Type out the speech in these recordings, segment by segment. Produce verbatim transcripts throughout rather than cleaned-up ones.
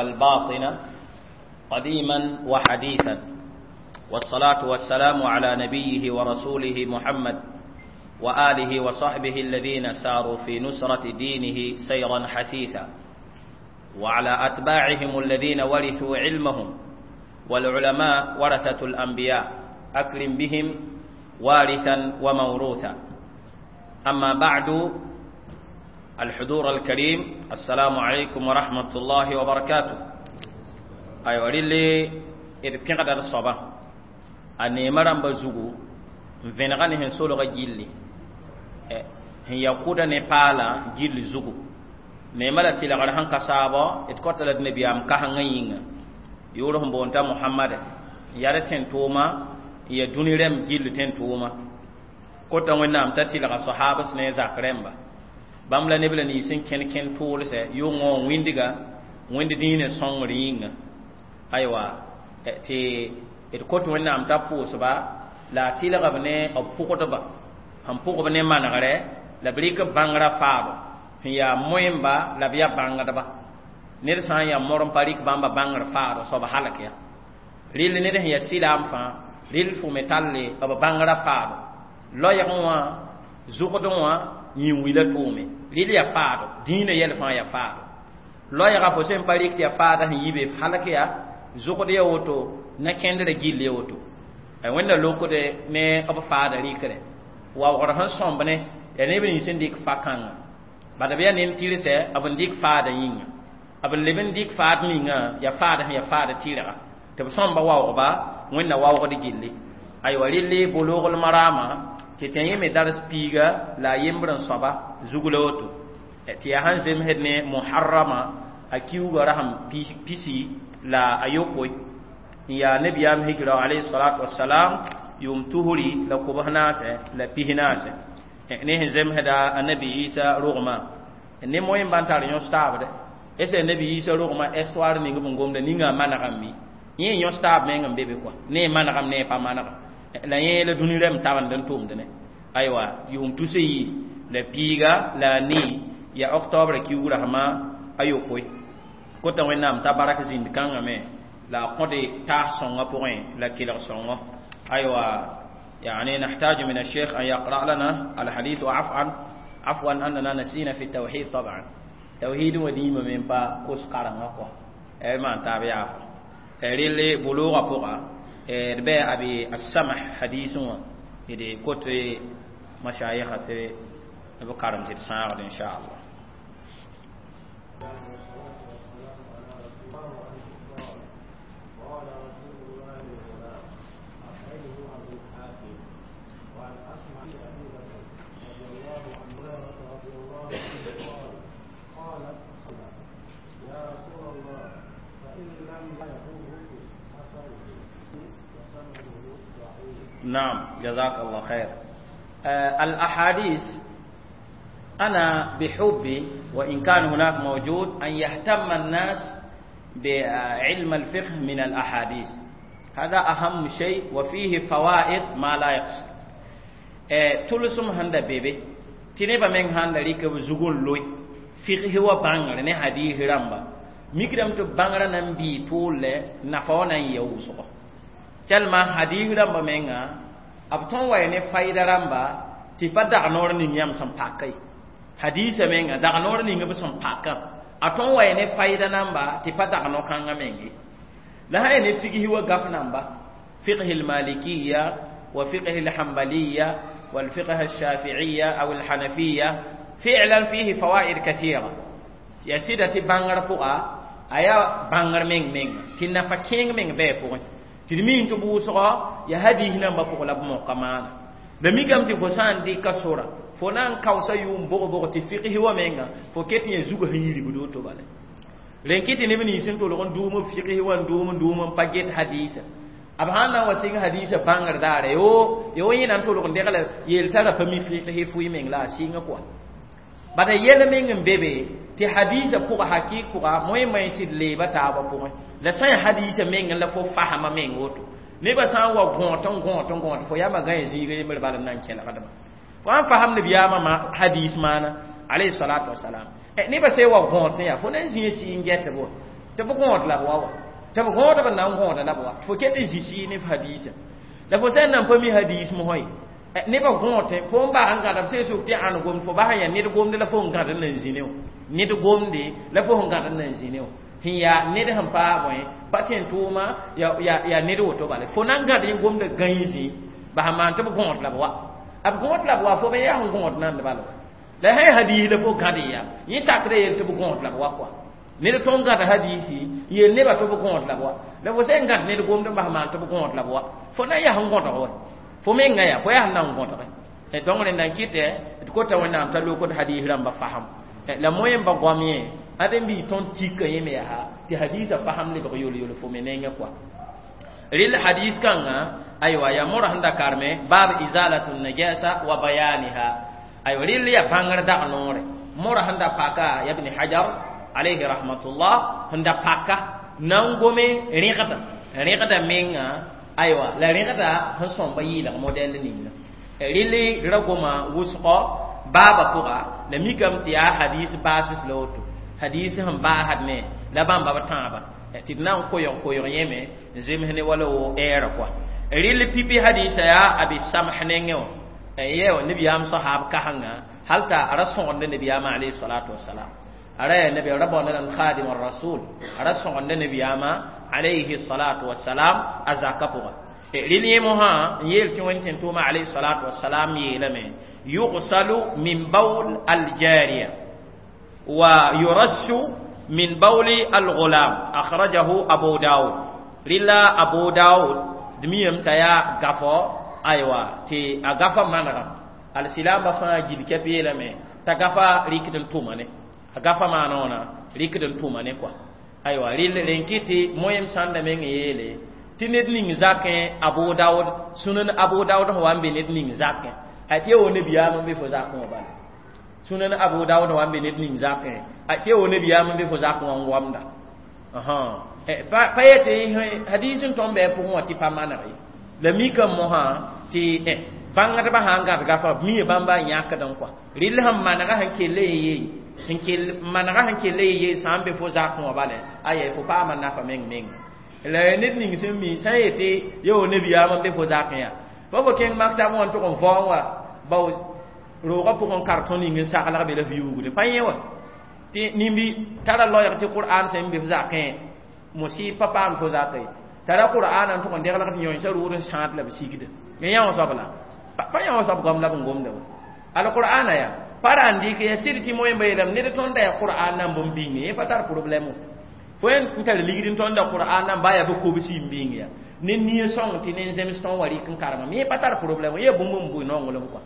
الباطنة قديما وحديثا، والصلاة والسلام على نبيه ورسوله محمد وآله وصحبه الذين ساروا في نصرة دينه سيرا حثيثا، وعلى أتباعهم الذين ورثوا علمهم، والعلماء ورثة الأنبياء، أكرم بهم وارثا وموروثا. أما بعد، الحضور الكريم، السلام عليكم ورحمة الله وبركاته. أيوة، رلي d pẽgda d soaba a neema rãmba zugu n vẽnega ne sẽn solga gilli sẽn ya kʋda ne paalã gill zugu. Neema la tɩlgr sẽn ka saabɔ d kota la d nabiyaam kasengã yĩnga yʋʋr sẽn boond t'a Mohamade n yaa d tẽn-tʋʋma n ya dũni rẽmb gill tẽn-tʋʋma. Kota Wẽnnaam t'a tɩlga sahabs ne zak rẽmba bãmb la neb la nins n kẽn kẽn tʋʋlsɛ yʋngã wã wĩndga wẽnd dĩinã sõngr yĩnga. Aywa, tɩ d kot Wẽnnaam t'a pʋʋsba la a tɩlg b ne b pʋgdba sẽn pʋgb ne manegrɛ la b rɩk b bãngrã faado sẽn yaa moẽmba la b yaa bãngdba. Ned sã n yaa mor n pa rɩk bãmba bãngr faado soab halk ya rɩl ned sẽn yaa sɩlaam fãa rɩl fo me talle b bãngrã faado loɛɛgẽ wã zʋgdẽ wã yĩn-wila tʋʋme rɩl yaa faado dĩinã yɛl fãa yaa faado loɛɛga fo sẽn pa rɩk tɩ yaa faada sẽn yi be halk ya zʋgd ya woto na kẽndrã gill ya woto. Wẽnda lokde ne b faada rɩkre waoogr sẽn sõmb ne yaa neb nins n dɩk fa-kãngã bala b yaa nend tɩrsɛ b n dɩk faada yĩnga b n leb n dɩk faad ninga yaa faada sẽn yaa faada tɩrga tɩ b sõmba waoogba Wẽnna waoogd gilli. Aywa, rɩlli Bulugl Marama tɩ tɩ yẽ me dars piiga la a yembr n soaba zug la woto tɩ yaa sẽn zemsd ne Muharrama a kiuugã rasem pisi la a yopoe n yaa nabiyaam hijra alayhi salatu wasalam yʋʋm tusri la kobs naasɛ la pis naasɛ ne sẽn zemsda a Nabi Isa rogmã ne moẽmba n tar yõs taabdɛ ese Nabi Isa rogmã histoire ning b n gomda ninga manegame mi yẽ yõs taab meng n be be kɔa ne manegam ne pa manegam la yẽ la dũni rɛm tabend n tʋmd ne. Aywa, yʋʋm tus yi la piiga la a nii ya octobre kiuug rasmã a yopoe. Kota Wẽnnaam t'a barak zĩnd kãngã me la a kõde taas sõngã pʋgẽ la kelg sõngɔ. Aywa, يعني نحتاج من الشيخ أن يقرأ لنا الحديث، وعفوا عفوا أننا نسينا في التوحيد، طبعا توحيد وديما من با كوس قرن أقوى ما تابع عفوا ريلي بلوغ بقى ربع أبي السمح حديث إذا كنت مشايخة بقرن تساعد إن شاء الله. قال رسول الله للغلام أخرجه أبو حاتم. وعن أسماء أبي بكر رضي الله عنه رضي الله عنه قال قالت يا رسول الله فإن لم يكن أثره وسنده ضعيف. نعم، جزاك الله خير. آه الأحاديث أنا بحبي وإن كان هناك موجود أن يهتم الناس بعلم الفقه من الأحاديث، هذا أهم شيء وفيه فوائد ما لا يقصر. تلسم هندا بيبي تنبا من هندا ليك زغون لوي فقه وبانغر ne hadith ramba mikram to bangra nan bi tole nafa nan yawso telma hadith ramba menga ab ton way ne fayda ramba ti pa dag nor ni yam sam pakai hadisa menga dag nor ni ngab sam paka a tõn wa ne fayda namba tɩ pa dag no-kãngã menge la sã ya ne figsi wa gaf namba fiqh المالكية وفقه الحنبلية والفقه الشافعية أو الحنفية، فعلا فيه فوائد كثيرة يا سيدة بانغر بقى أيا بانغر مين مين تنا فكين مين بي بقى تلمين تبوسوا يا هدي هنا بقى لا بمقامان la mikame tɩ fo sã n dɩka sora fo na n kaoosa yʋʋm bog-bog tɩ fiqs wa menga fo ket yẽ zugã sẽn yirgd woto bala rẽn kɩ tɩ neb nins n tolg n duum b fiqs wa n duum n duum n pa get hadiisa b sãn na n wa sɩng hadiisa bãngr daare yo yo yẽ na n tolg n degla yeel t'a ra pa mi fiqs fʋɩ meng la a sɩngã kɔa bala yɛl meng n be be tɩ hadiisa pʋga hakɩɩk pʋga moẽ sɩd leeba taabã pʋgẽ la sã n yaa hadiisa meng la fo fasma meng woto nebã sã n wa gõot n gõot n gõot fo yamba gã zĩiga yembr bala n na n kẽlgdba fo sãn fasam nabiyaamã ma hadis maana alayhi salatu wasalam. Nebã sã wa gõot n yaa fo na n zĩig sɩ n get bo Tɩ b gõod la b wa wa tɩ b gõodb n na n gõoda la b wa fo ket n zĩ ne f hadiisã la fo sã n nan pa mi hadiis mosã ye nebã gõod fo n bag n gãd b sẽn sʋk tɩ ãn gomd fo bas n yaa ned gomde la fo n gãd n nan zĩ ne wã ned gomde la fo sẽn gãd n nan zĩ ne wã sẽn yaa ned sẽn paag bõe pa tẽ tʋʋma yaa ned woto bala fo na n gãd yẽ gomda gãe zĩ bas n maan tɩ b gõod la b wa b gõod la b wa fo me yaa sẽn gõod nand bala la sã hadiis la fo gãd ya yẽ sakda yel tɩ b gõod la b wa kɔa ned tõnd gãd hadiisi yel nebã tɩ b gõod la b wa la fo sẽn gãd ned gomd n bas maan tɩ b gõod la b wa fo na n yaa sẽn gõdg wa fo menga yaa fo yaa sẽn na n gõdge donc rẽnda n kɩtɛ d kota wẽnnaam t'a lokd hadiis rãmba fasem la moẽmba goam yẽ ade n bii tõnd tika yẽ me yaa tɩ hadiisã fasem lebg yol-yol fo me nengẽ kɔa rel hadis kãnga aywa yaa mora sẽn da karme baab izalatu najasa wa bayaniha aywa rel yaa bãngr dag noore mora sẽn da paka ya ibn hajar alayhi rahmatullah sẽn da paka na n gome rẽgda rẽgda menga aywa la rẽgda sẽn sõmba yɩɩlg modɛl ninga rel ra goma wʋsgɔ baaba pʋga la mikame tɩ yaa hadis baases la woto hadis sẽn baasd ne la bãmba b tãabã tɩ d na n koyg koyg yẽme n zems ne wala wo ɛɛra kɔa rel pipi hadisa yaa abi samh nengẽ wã yɛ wã nebiyaam sahab kasengã hal t'a ra sõgenda nebiyaamã alayhi salatu wasalam ara ya nabi ra baonda nan khadim rasul ara sõgenda nebiyaamã alayhi salatu wasalam a zaka pʋga rel yẽ mosã n yeel tɩ wẽnd tẽn tʋʋma alayhi salatu wasalam yeelame yugsalu min bawl aljariya wa yurassu min bawli alghulam akhrajahu abu daud rila abu daud dmiyam taya gafo aywa tɩ a gafa manega alsilamba fãa gil kɛp yeelame t'a gafa rɩkd n tʋma ne a gafa maana wãna rɩkd n tʋma ne kɔa aywa rel rẽn kɩ tɩ moẽm sãnda meng yeele tɩ ned ning zakẽ abu daud sunan abu daud sẽn wa n be ned ning zakẽ a tɩ ya wo nebiyaam n be fo zakẽ wã bala sunan abu daud wa n be ned ning zakẽ a tɩ ya wo nebiyaam n be fo zakẽ wã n goamda pa yetɩ hadis n tõm bɩ a pʋgẽ wã tɩ pa maneg ye la mikame mosã tɩ bãngdbã sã n gãd gafa b mia bãmba n yãkd n kɔa rɩl sẽn manega sẽn kell n yee sẽn kell manega sẽn kell n yee sã n be fo zakẽ wã bala aya fo paama nafa meng meng la ned ning sẽn mi sã n yetɩ ya wo nebiyaam n be fo zakẽ yaa fa fo kẽng maktab wã n tʋg n vaoong wa bao roogã pʋgẽ kartõ ning n saglg be la f yuugde pa yẽ wa tɩ nimbi tara loɛɛg tɩ qur'an sẽn be f zakẽ musib pa paam fo zakã ye tara qur'an n tʋg n deglg tɩ yõensã rʋʋd n sãad la b sigda yã wã soab la pa yã wã soab goam la b n gomda wa alqur'ana yaa pa ra n dɩk ya sɩd tɩ moẽmba yeelame ned tõnda yaa qur'an nan bõmb bĩng yẽ pa tar problɛm fo n tar ligd n tõnda qur'an nan baa yaa bɩ kobsi n bĩng ya ne nia sõng tɩ ne zems tõn wa rɩk n karemame yẽ pa tar problɛm yẽ bũmb n bʋɩ nonglem kɔa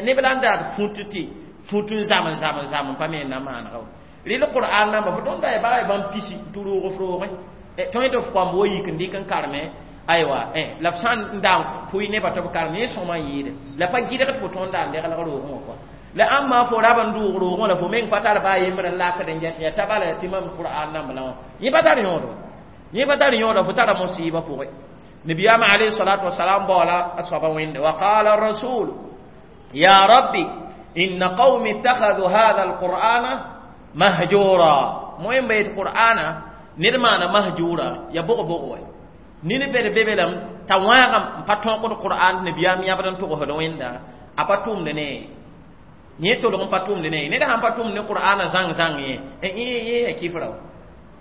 neb la n daad fũt tɩ fũt n zam n zam n zam n pa me n na maanega wa rɩl qur'an namba fo tõnda ya baa ya bãmb pisi tɩ roog f roogẽ tõe tɩ f kõmb wa yik n dɩk n kareme aywa la f sã n da n pʋɩ nebã tɩ b karem yẽ sõma n yɩɩde la pa gɩdg tɩ fo tõnda n deglg roogẽ wã kɔa la ãmba fo rab n dʋʋg roogẽ la fo meng pa tar baa yembr n lakd n get ya t'a bala tɩ mam qur'an namba la wã yẽ pa tar yõodo yẽ pa tar yõoda fo tara musiba pʋgẽ nebiyaamã alayhi salatu wasalam baoola a soaba wẽnde wa qala rasul ya rabbi inna qawmi ittakhadhu hadha alqur'ana mahjura moẽmba yet qur'ana ned maana mahjura ya bʋg-bʋg wa ned bed be be lame t'a wãagam n pa tõkd qur'an nebiyaam yãbd n togsd wẽnda a pa tʋmd ne yẽ tolg n pa tʋmd ne ned sãn pa tʋmd ne qur'ana zãng-zãng yẽ yẽ ya kifra wa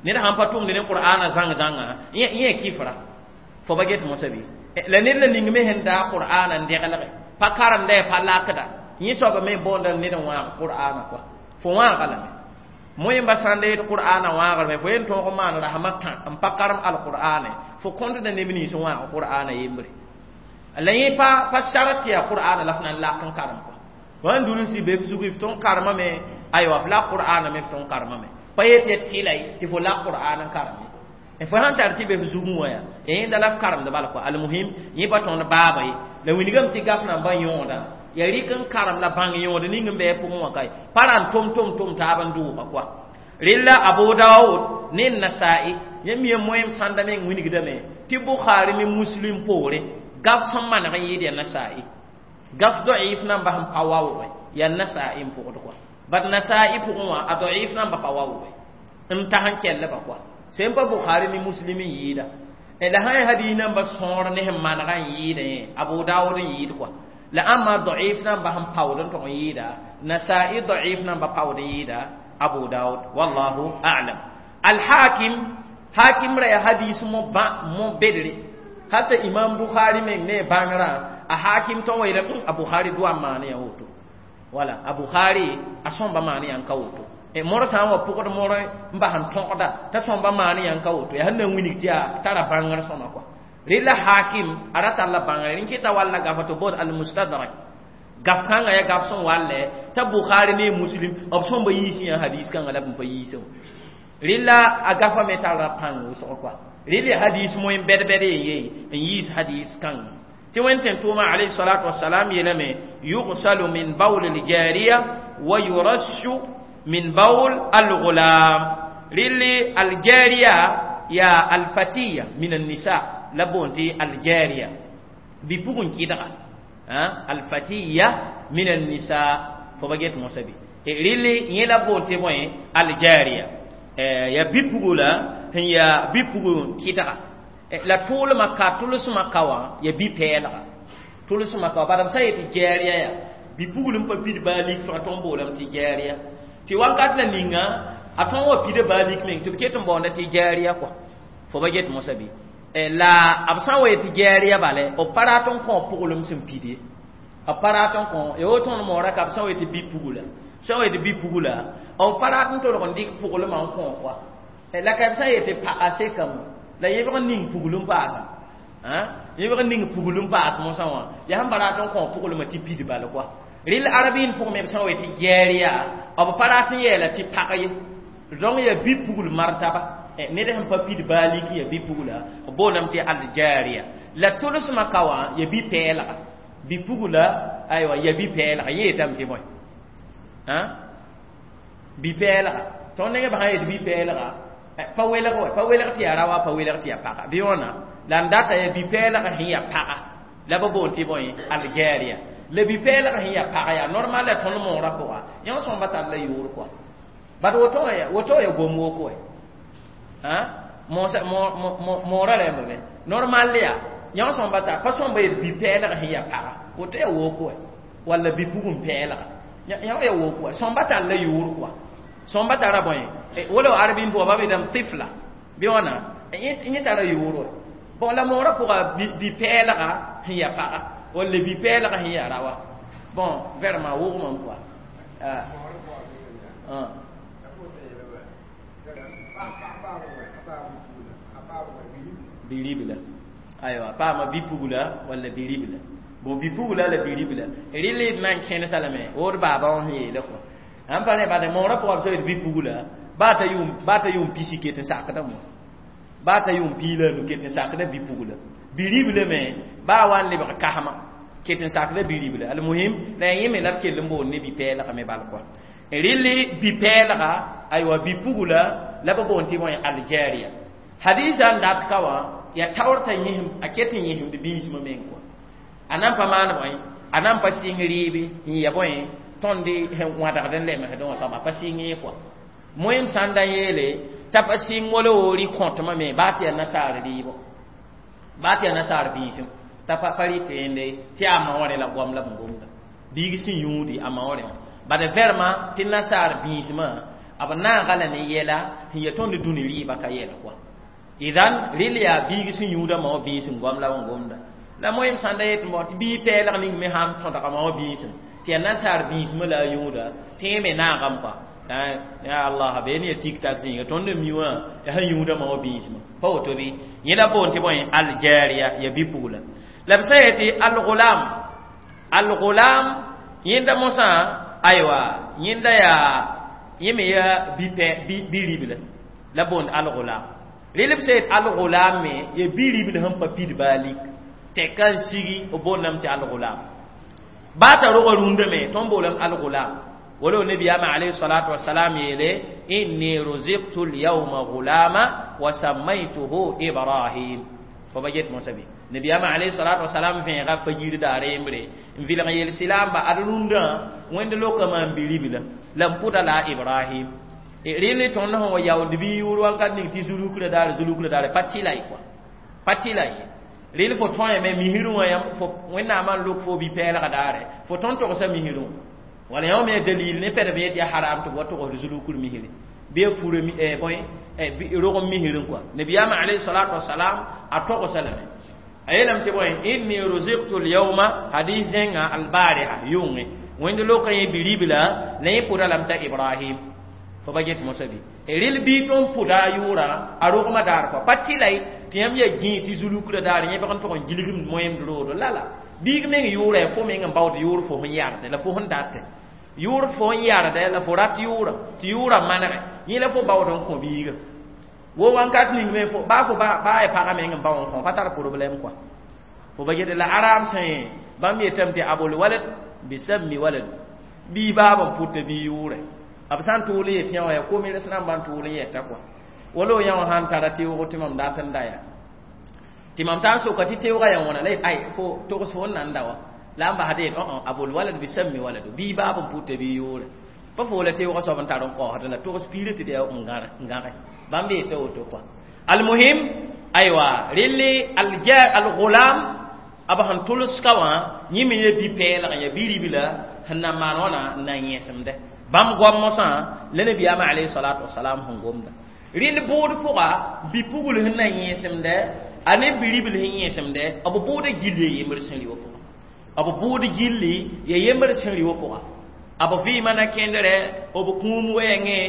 ned sãn pa tʋmd ne qur'ana zãng-zãngã yẽ ya kifra fo ba get mosã bɩ la ned la ning me sẽn daa qur'ana n deglge pa karemda ya pa lakda yẽ soaba me boonda ned n wãag qur'ana kɔa fo wãaga lame moẽmba sãn da yet qur'ana wãagrame fo yen tõog n maan rasmã tã n pa karem alqur'ane fo kõtda neb nins n wãag qur'ana yembre la yẽ pa pa sart tɩ yaa qur'ana la f na n lak n karem kɔa wãn dũnsi be f zug f tõn karemame aywa f la qur'ana me f tõn karemame pa yet ya tɩla ye tɩ fo lak qur'an n karem ye fo sãn tar tɩ be f zugẽ wã yaa yẽnda la f karemd bala kɔa almuhim yẽ pa tõnd baaba ye la wilgame tɩ gaf nambã yõoda ya rɩk n karem la bãng yõod ning n bɩ a pʋgẽ wã kae pa ra n tʋm tʋm tʋm taab n dʋʋga kɔa rella abu daud ne nasai yẽ mi moẽm sãnda meng wilgdame tɩ bukhari ne muslim poore gaf sẽn maneg n yɩɩd ya nasai gaf da'if namba sẽn pa waoogẽ yaa nasai n pʋgd kɔa bat nasai pʋgẽ wã a da'if namba pa waoogẽ n tas n kellba kɔa Sẽn pa Bukhari ni Muslim n yɩɩda. La sã n hadis namba sõor ne sẽn manega n yɩɩdẽ, Abu Dawud n yɩɩd kɔa. La ãmba da'if namba sẽn paood n tog n yɩɩda, Nasa'i da'if namba paood n yɩɩda Abu Dawud, wallahu a'lam. Al-Hakim, Hakim ra ya hadis mo ba mo bedre. Hatta Imam Bukhari meng ne bãngrã, a Hakim tõn wa yeelame a Bukhari doa n maan ya woto. Wala a Bukhari a sõmba maan yã n ka woto. Mor sã n wa pʋgd mor n bas n tõgda t'a sõmba maan yã n ka woto, yaa sẽn na n wilg tɩ yaa tara bãngr sõma kɔa. Rɩla Hakim a ra tar la bãngre rẽn kɩta walla gafa tɩ bood Al-Mustadrak. Gaf kãngã yaa gaf sẽn wallɛ t'a Bukhari ne Muslim b sõmba yiis yã hadis kãngã la b n pa yiisẽ wã. Rɩla a gafa me tara pãng wʋsg kɔa. Rɩla hadis moẽ bɛd-bɛd yen ye n yiis hadis kãngã. Tɩ Wẽn tʋʋma alayhi salatu wasalam yeelame yugsalu min bawl al-jariya wa yurashu min bawl al-ghulam. Rɩlli al-jariya ya al-fatiya min an-nisa la boon tɩ al-jariya bi-pugẽ kɩdga, al-fatiya min an-nisa fo ba get mosã bɩ. Rɩlli yẽ la boon tɩ bõe al-jariya ya bi-pugla sẽn yaa bi-pugẽ kɩdga. La tʋʋlmã ka tʋlsmã ka wã ya bi-pɛɛlga, tʋlsmã ka wã bala b sã n yetɩ jariya yaa bi-pugl n pa pid baa lik fãa tõnd boolame tɩ jariya. Tɩ wakat la ninga a tõn wa pida baa lik meng tɩ b ket n baoonda tɩ jariya kɔa, fo ba get mosã bɩ. La b sã n wa yetɩ jariya bale b pa rat n kõ pʋglem sẽn pid ye, b pa rat n kõ ya woto tõnd moora ka b sã n wa yetɩ bi-pugla, sã n wa yetɩ bi-pugla b pa rat n tolg n dɩk pʋglmã n kõ kɔa. La ka b sã n yetɩ pagã sekame la yẽbg n ning pugl n paasã, yẽbg n ning pugl n paas mosã wã yaa sẽn pa rat n kõ pʋglmã tɩ pid bal kɔa. Rɩl arabiin pʋgẽ me b sã n wa yetɩ jariya b pa rat n yeela tɩ pag ye, donc ya bi-pugl martaba ned sẽn pa pid baa lik ya bi-pugla b boolame tɩ al-jariya. La tʋlsmã ka wã ya bi-pɛɛlga, bi-pugla aywa ya bi-pɛɛlga yẽ yetame tɩ bõe bi-pɛɛlga. Tõnd nengã b sã n yet bi-pɛɛlga pa welg wa, pa welg tɩ yaa rawa, pa welg tɩ yaa paga bɩ wãna la n data ya bi-pɛɛlga sẽn yaa paga la b boon tɩ bõe al-jariya. La bi-pɛɛlga sẽn yaa paga yaa normal la tõnd moorã pʋga yẽ sõmba tar la yʋʋr kɔa. Bad woto ya woto ya gom woko wa moorã rẽmba be normal ya yẽ sõmba tar pa sõmba yet bi-pɛɛlga sẽn yaa paga woto ya woko wa, walla bi-pugum pɛɛlga yẽ ya woko wa, sõmba tar la yʋʋr kɔa. Sõmba tara bõe wala arabin pʋga ba beedame tifla bɩ wãna yẽ tara yʋʋr wa. Bon la moorã pʋga bi-pɛɛlga sẽn yaa paga walla bi-pɛɛlga sẽn yaa rawa, bon vraiment wʋgmame kɔa. Bi-ribla aywa paama bi-pugla walla bi-ribla, bon bi-pugla la bi-ribla rɩl d na n kẽnesa lame wood baaba wã sẽn yeele kɔa. Sãn pa ne bad moorã pʋga b sã yet bi-pugla baa t'a yʋʋm baa t'a yʋʋm pisi ket n sakdame wã, baa t'a yʋʋm piig la a nu ket n sakda bi-pugla. Bi-ribla me baa wa n lebg kasma ket n sakda bi-ribla. Almuhim la yẽ me la b kell n boond ne bi-pɛɛlga me bal kɔa. Rɩlli bi-pɛɛlga aywa bi-pugla la b boond tɩ bõe al-jariya. Hadisa n dat ka wã yaa taoor t'a yẽsem a ket n yẽsemd biismã meng kɔa. A na n pa maan bõe, a na n pa sɩng rɩɩbe n ya bõe tõnd sẽn wãdgd n lemsdẽ wã soaba pa sɩng ye kɔa. Moẽm sã n da yeele t'a pa sɩng wala woori kõtmã me baa tɩ yaa nasaar rɩɩbo, baa tɩ yaa nasaar biisem t'a pa pa rɩ tẽende tɩ yaa ma wã rẽ la goam la b gomda biig sẽn yũudi a ma wã rẽ wã. Bad vraiment tɩ nasaar biismã b naaga la ne yɛla sẽn yaa tõnd dũni rɩɩbã ka yɛl kɔa. Idan rɩl yaa biig sẽn yũudã ma wã biisem goam la b gomda. La moẽm sã n da yet n bao tɩ bii pɛɛlg ning me sãn tõdga ma wã biisem tɩ yaa nasaar biismã la a yũuda tẽe me naagame kɔa. Ya Allah be ne tik tak zĩnga tõnd n mi wã yaa sẽn yũudã ma wã biismã pa woto bɩ. Yẽ la boon tɩ bõe al-jariya ya bi-pugla. La b sã n yetɩ al-ghulam, al-ghulam yẽnda mosã aywa yẽnda yaa yẽ me yaa bi-ribla la boond al-ghulam. Rɩl b sã yet al-ghulam me ya bi-ribl sẽn pa pid baa lik tɛka n sigi b boondame tɩ al-ghulam. Baa t'a rogã rũndã me tõnd boolame al-ghulam. Wala nabiyaama alayhi salatu wasalam yeele inni ruziktu lyawma ghulama wa sammaytuhu Ibrahim. Fo ba get mosã bɩ nabiyaama alayhi salatu wasalam vẽega fajir daar yembre n vɩlg yel silaamba ad rũndã wẽnd lokã maan bi-ribla la n pʋda la Ibrahim. Rɩl tõnd sẽn wa yaoond bɩ yʋʋr wakat ning tɩ zulukra daare zulukra daare pa tɩla ye kɔa pa tɩla ye rɩl fo tõeme misrẽ wã yãmb fo wẽnnaamã n lok fo bi-pɛɛlga daare fo tõnd togsa misrẽ wã wala yã me dalil ne pɛd b yet yaa haram tɩ b wa togsd zulukr misrẽ bɩ a pura bõe rog n misrẽ kɔa nabiyaamã alayhi salatu wasalam a togsa lame a yeelame tɩ bõe inni ruziktu lyawma hadis zẽnga albariha yʋngẽ wẽnd loka yẽ biribla la yẽ pʋda lame t'a ibrahim fo ba get mosa bɩ rɩl bii tõnd pʋda a yʋʋra a rogmã daar kɔa pa tɩla ye tɩ yãmb yaa gĩig tɩ zulukra daar yẽ bg n tʋg n gilgem moẽmd roodo la la biig meng yʋʋra yaa fo meng n baood yʋʋr fo sẽn yarde la fo sẽn date yʋʋr fo sẽn yarde la fo rat yʋʋra tɩ yʋʋra manege yẽ la fo baood n kõ biiga wo wãnkat ning me fo baa fo baa ya pagã meng n bao n kõ pa tar problème kɔa fo ba get la arab sẽn bãmb yetame tɩ abul walad bisammi walad bii baab n pʋta bii yʋʋre b sã n tʋʋl n yet yã wã yaa komirs rãmbã n tʋʋl n yɛta kɔa wala yã wã sãn tara teoogo tɩ mam dat n da yaa tɩ mam taa n soka tɩ teoogã yaa wãna la ay fo togs fo n nan da wa la n basd yet abul walad bisammi waladu bii baab n pʋta bii yʋʋre pa fo la teoogã soab n tar n kaoosd la togs piirã tɩ d yaa n gãge bãmb yeta woto kɔa almuhim aywa relle algulam b sẽn tʋlska wã yẽ me ya bi-pɛɛlg n ya bi-ribla sẽn na n maan wãna n na n yẽsemdɛ bãmb goam mosã la nabiyaamã alayhi salatu wasalam sẽn gomda rɩl bʋʋd pʋga bi-pugl sẽn na n yẽsemdɛ a ne bi-ribl sẽn yẽsemdɛ b bʋʋda gilli ya yembr sẽn rɩ wã pʋga b bʋʋd gilli ya yembr sẽn rɩ wã pʋga b vɩɩmã na kẽndrɛ b kũum wɛɛngẽ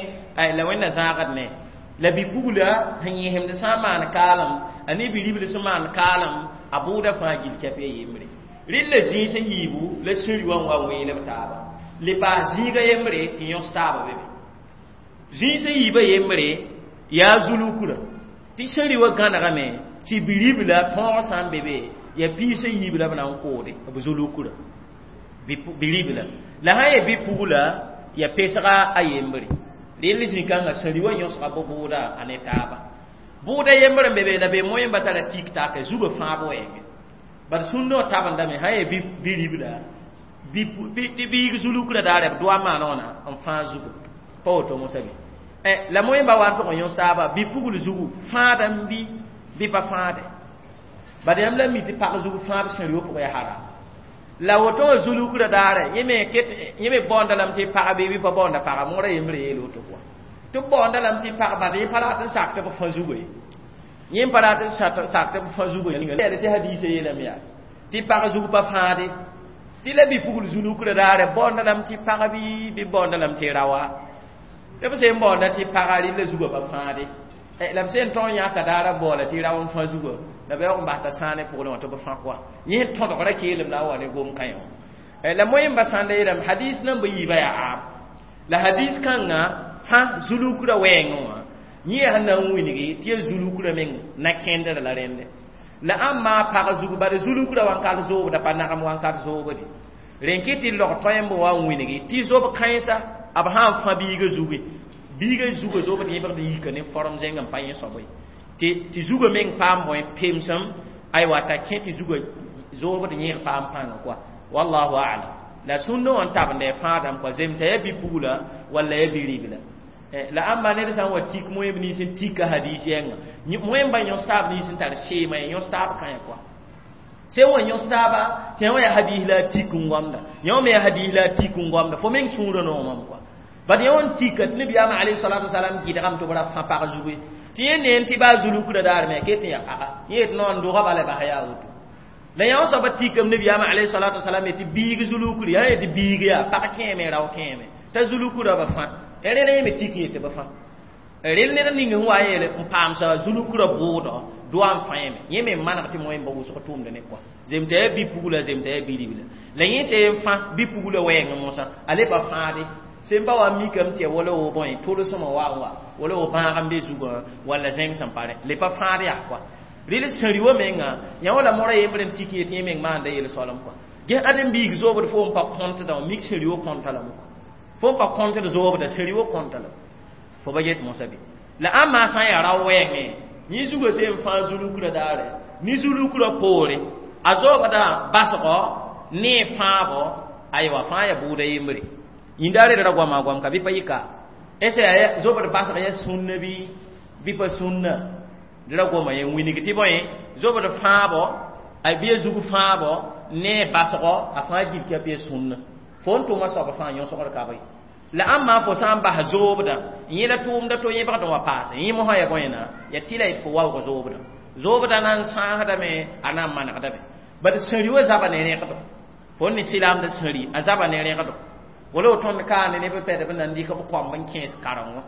la wẽnna zãagd ne la bi-pugla sẽn yẽsemd sã n maan kaalem a ne bi-ribl sẽn maan kaalem a bʋʋda fãa gil kɛp ya yembre rɩl la zĩig sẽn yiibu la sẽn rɩ wã n wa wẽelb taaba le paas zĩiga yembre tɩ yõs taaba be be zĩig sẽn yiibã yembre yaa zulukra tɩ sẽn rɩ wã gãnegame tɩ bi-ribla tõog sã n be be yaa piis sẽn yiib la b na n koode b zulukra bi-ribla la sã n yaa bi-pugla yaa pesga a yembre rel zĩ-kãngã sẽn rɩ wã yõsga bɩ bʋʋda a ne taaba bʋʋda yembr n be be la be moẽmba tara tik take zugã fãab wɛɛngẽ bad sũndã wã tabendame sã n yaa bi-ribla tɩ biig zulukra daare b doa maan wãna n fãag zugu pa woto mosã bɩ la moẽmba wa n tʋg n yõs taaba bi-pugl zugu fãada n bi bɩ pa fãade bad yãmb la mi tɩ pag zug fãab sẽn rɩ wã pʋgã yaa haram la woto wã zulukra daare yẽ me ket yẽ me baoonda lame tɩ pag bɩ bɩ pa baoonda paga moorã yembre yeel woto kɔa tɩ b baoonda lame tɩ pag bad yẽ pa rat n sak tɩ b fã zugu ye yẽ pa rat n sak tɩ b fã zugu ye tɩ hadiisã yeelame yaa tɩ pag zug pa fãade tɩ la bi-pugl zulukra daare baoonda lame tɩ pag bɩ bɩ baoonda lame tɩ raoa tɩ b sẽn baoonda tɩ paga rɩla zugã pa fãade la b sẽn tõog yãka daara baoola tɩ rao n fã zugã la b yaoog n bas t'a sãane pʋglẽ wã tɩ b fã kɔa yẽ tõdgra keelem la a wa ne gom kã wã la moẽmba sãnda yeelame hadis nan bɩ yiibã yaa aam la hadis kãngã fã zulukra wɛɛngẽ wã yẽ yaa sẽn na n wilgi tɩ ya zulukra meng na kẽndr la rẽnde la ãmb pag zug bad zulukra wãnkat zoobda pa nagem wãnkat zoobde rẽn kɩ tɩ log tõemb wa n wilgi tɩ zob kãensa b sã n fã biigã zuge biigã zugã zoobd yẽbgd yika ne form zẽng n pa yẽ soab ye tɩ tɩ zugã meng paam bõe pemsem aywa t'a kẽ tɩ zugã zoobd yẽg paam pãnga kɔa wallahu alam la sũndã wã n tabende fãadame kɔa zemta ya bi-pugla walla ya bi-ribla la ãmba ned sã n wa tik moẽmb nins n tika hadis yɛnga moẽmba yõs taab nins n tar seema ye yõs taab kãe kɔa sẽn wa yõs taaba tɩ yã wã yaa hadis la a tik n goamda yã wã me yaa hadis la a tik n goamda fo meng sũurã noomame kɔa bad yã wã n tika tɩ nabiyaamã alayhi salatu wasalam gɩdgame tɩ b ra fã pag zugu ye tɩ yẽ neen tɩ baa zulukra daar me ket n yaa paga yẽ yet noor n doga bala bas yaa woto la yã wã soaba tikame nabiyaamã alayhi salatu wasalam ye tɩ biig zulukri yã ye tɩ biig yaa pag kẽeme rao kẽeme t'a zulukra ba fã rẽla yẽ me tik n yetɩ ba fã rel ned ning sẽn wa n yeele n paamsa zulukra bʋʋdɔ doa n fãeme yẽ me n maneg tɩ moẽmba wʋsg tʋʋmd ne kɔa zemta yaa bi-pugla zemta yaa bi-ribla la yẽ sẽn fã bi-pugla wɛɛngẽ mosã a le pa fãade sẽn pa wa mikame tɩ ya wala wo bõe tʋlsmã wa n wa wala wo bãag n be zugã walla zẽng sẽn pa rẽ le pa fãad yaa kɔa rɩl sẽn rɩ wã menga yã wala mora yembr n tik yetɩ yẽ meng maanda yel-soalem kɔa ges ãdem biig zoobd fo n pa kõntdã wã mik sẽn rɩ wã kõnta lame kɔa fo n pa kõntd zoobda sẽn rɩ wã kõnta lame fo ba get mosã bɩ la ãmba sã n yaa rao wɛɛngẽ yẽ zugã sẽn fãa zulukra daare ne zulukra poore a zoobda basgɔ ne fãabo aywa fãa yaa bʋʋda yembre yĩndaare ra goama goam ka bɩ pa yɩ ka Ese ya zobd basg ya sũnna bɩ bɩ pa sũnna d ra goma ye n wilg tɩ bõe zobd fãabo a bɩ a zug fãabo ne a basgo a fãa gilka bɩ a sũnna fo n tʋma soab fãa yõsgd ka bɩ la ãmba fo sã n bas zoobdã yẽla tʋʋmda to yẽbgd n wa paase yẽ mosã ya bõena ya tɩ la yet fo waoog zoobdã zoobdã na n sãasdame a na n manegdame bad sẽri wa zaba ne rẽgdo fo ne silaamda sẽri a zaba ne rẽgdo wala tõnd kaane neb pɛdb n na n dɩk b koamb n kẽes karengo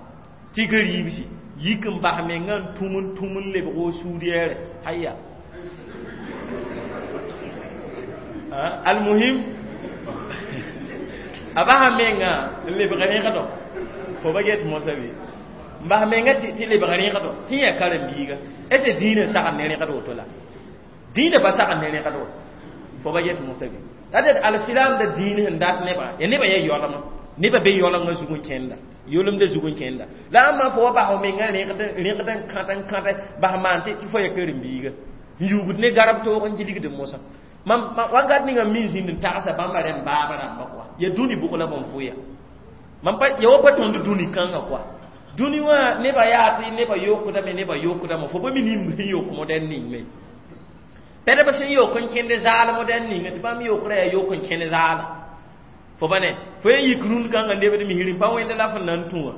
tɩ gariibsi yik n bas mengã n tũm n tũm n lebg o suud yɛɛre haya almuhim a basa menga n lebg rẽgdo fo ba get mosã be n bas menga tɩ lebg rẽgdo tɩ yã karen-biiga est-ce dĩinã sagd ne rẽgd woto la dĩinã pa sagd ne rẽgd woto fo ba get mosã be la d alsilaamda dĩin sẽn dat nebã ya nebã yaa yaolema nebã be yaoolengã zug n kẽnda yolemdã zug n kẽnda la ãmba fo wa bas f menga rẽgd rẽgd n kãt n kãt bas maan tɩ fo ya karen-biiga n yuugd ne garb toog n gilgd mosã mam wakat ninga min zĩnd n tagsa bãmba rẽm baaba rãmba kɔa ya dũni bʋg la bõn fʋya mam pa ya wa pa tõnd dũni kãngã kɔa dũni wã nebã yaa tɩ nebã yokdame nebã yokdame fo pa mi nim sẽn yok modɛl ning me pɛdb sẽn yok n kẽnd zaal modɛl ninga tɩ bãmb yokra yaa yok n kẽnd zaala fo pa ne fo yen yik rũnd kãngã lebd misr n pa wẽnd la fo na n tũ wã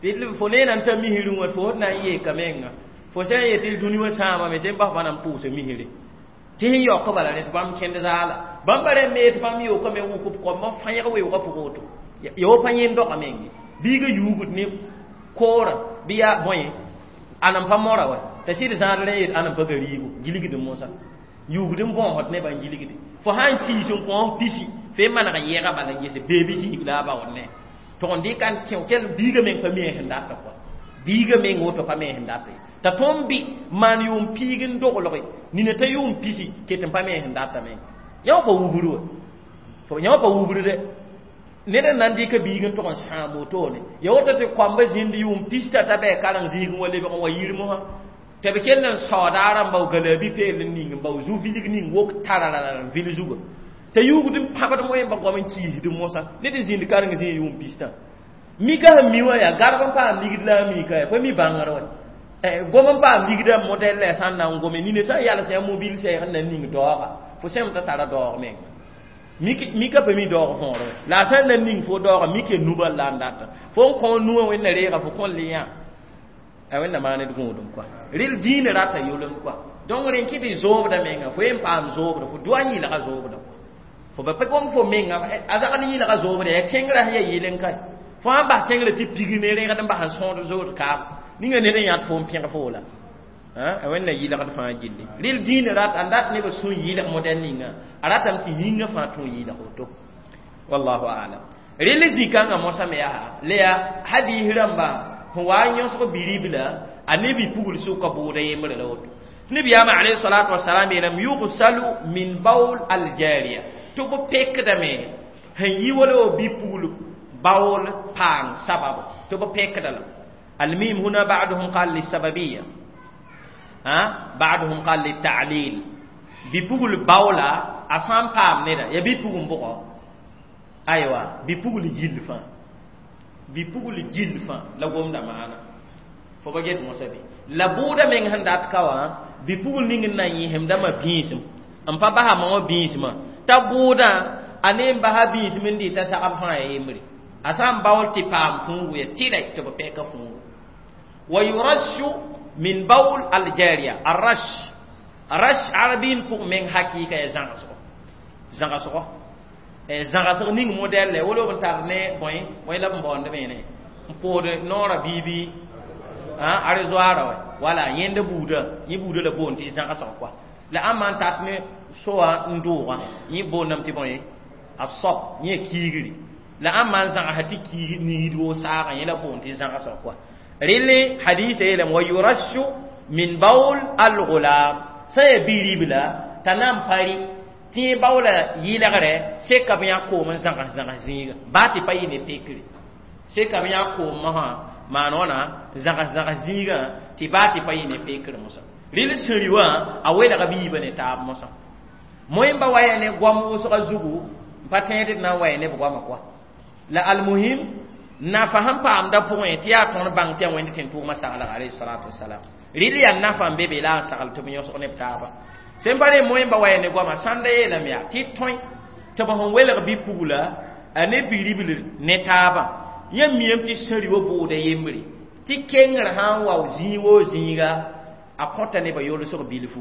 tɩ fo ne na n ta misrẽ wã fo na n yeeka menga fo sã n yetɩ dũni wã sãamame sẽn bas pa na n pʋʋsa misre tɩ sẽn yaook bala rẽ tɩ bãmb kẽnd zaala bãmba rẽ me tɩ bãmb yookame wʋk b koamba fãyg weoogã pʋgẽ woto ya wa pa yẽnd doga meng biiga yuugd ne koorã bɩ yaa bõe a nan pa mora wa t'a sɩd zãad rẽ yet a nan pa gariigo gilgd mosã yuugd n bõosd nebã n gilgde fo sã n kiis n kõos pisi fo maneg yɛɛga bala n gese beebi zĩig la a baood ne tʋg n dɩka n kẽ kell biiga meng pa mi sẽn data kɔa biiga meng woto pa mi sẽn data ye t'a tõnd bɩ maan yʋʋm piig n doglge nina t'a yʋʋm pisi ket n pa me sẽn data meng yã wã pa wubr wa yã wã pa wubr dɛ ned n na n dɩka biig n tʋg n sãam wotone ya woto tɩ koamba zĩnd yʋʋm pis t'a ta bɩ kareng zĩig n wa lebg n wa yir mosã tɩ b kell n saooda a rãmba w galabi peel n ning n bao zu-vilg ning wok tararara n vil zuga t'a yuugd n pãbd moẽmba goam n kiisd mosã ned n zĩnd kareng zĩig yʋʋm pistã mika sẽn mi wã yaa garb n paam ligd la a mika ya pa mi bãngr wa gom n paam ligda modɛl la sã n na n gome nina sã n yals yã mobil sɛɛg n na n ning daooga fo sẽm t'a tara daoog menga mika pa mi daoog võore la a sã n na n ning fo daooga mik ya nubal la n data fo n kõ nuwã wẽnna reega fo kõn le yã a wẽnna maan d gũudum kɔa rel dĩinã rata yolem kɔa donc rẽn kɩ tɩ zoobda menga fo yen paam zoobda fo doa n yɩlga zoobda fo ba pa gom fo menga a zagd n yɩlga zoobda yaa kẽngrã sẽn yaa yɩl n kae fo sãn bas kẽngrã tɩ pig ne rẽgd n bas n sõod zood kaab ninga ned n yãt fo n pẽg fo la a wẽnna yɩlgd fãa gilli rel dĩinã rat a dat neb sũ yɩlg modɛl ninga a ratame tɩ yĩngã fãa tũ yɩlg woto wallahu alam rel zĩ-kãngã mosã me yaa la yaa hadiis rãmba sẽn wa n yõsg biribla a ne bi-pugl sʋka bʋʋda yembre la woto nabiyaamã alayhi salatu wasalam yeelame yugsalu min baul aljariya tɩ b pekdame sẽn yi wala wa bi-pugl baool paang sababo tɩ b pekda la الميم هنا بعضهم قال للسببية ها بعضهم قال للتعليل بيبغل باولا أسام بام نيدا يا بيبغل بقى أيوة بيبغل جيل فان بيبغل جيل فان لا قوم دا معنا فبجد موسى لا بودا من هندات كوا بيبغل نين نايهم دا ما بيسم أم بابا ما بيسم تبودا أنيم بها بيسم دي تسعب فان يمري أسام باول تبام فون ويتيلا تبقى فون ويرش من بول الجارية الرش الرش عربين فوق من حقيقة زنغسو زنغسو زنغسو نين موديل ولو بنتارني بوين وين لا بوند مينه بود نورا بيبي ها ارزوارا ولا يند بودا يي بودا لا بون تي زنغسو كوا لا امان تاتني سوا ندوغا يي بونم تي بوين الصب يي كيغري la ãmba n zãgsa tɩ kiis niid woo saagã yẽ la boond tɩ zãgsg kɔa rel hadisa yeelame wa yurashu min baul algulam sã n yaa bi-ribla t'a na n pa rɩ tɩ yẽ baoola yɩlgre seka b yã koom n zãgs zãgs zĩiga baa tɩ pa yɩ ne pekre seka b yã koom mosã maan wãna zãgs zãgs zĩigã tɩ baa tɩ pa yɩ ne pekr mosã rel sẽri wã a welga b yiibã ne taab mosã moẽmba wa yaa ne goam wʋsga zugu n pa tẽed d na n wa ya neb goamã kɔa la almuhim Nafa sẽn paamda pʋgẽ tɩ yaa tõnd bãng tɩ yaa Wẽnd tẽn-tʋʋmã saglg alayhi salatu wasalam. Rɩl yaa nafa n be be la n sagl tɩ b yõsg ne b taaba. Sẽn pa rẽ moẽmba wa ya ne goama sãnda yeelame yaa tɩ tõe tɩ b sẽn welg bi-pugla a ne bi-ribl ne taabã. Yãmb miame tɩ sẽri wa bʋʋda yembre tɩ kengr sã n wa zĩig woo zĩiga a kõta nebã yolsg bilfu.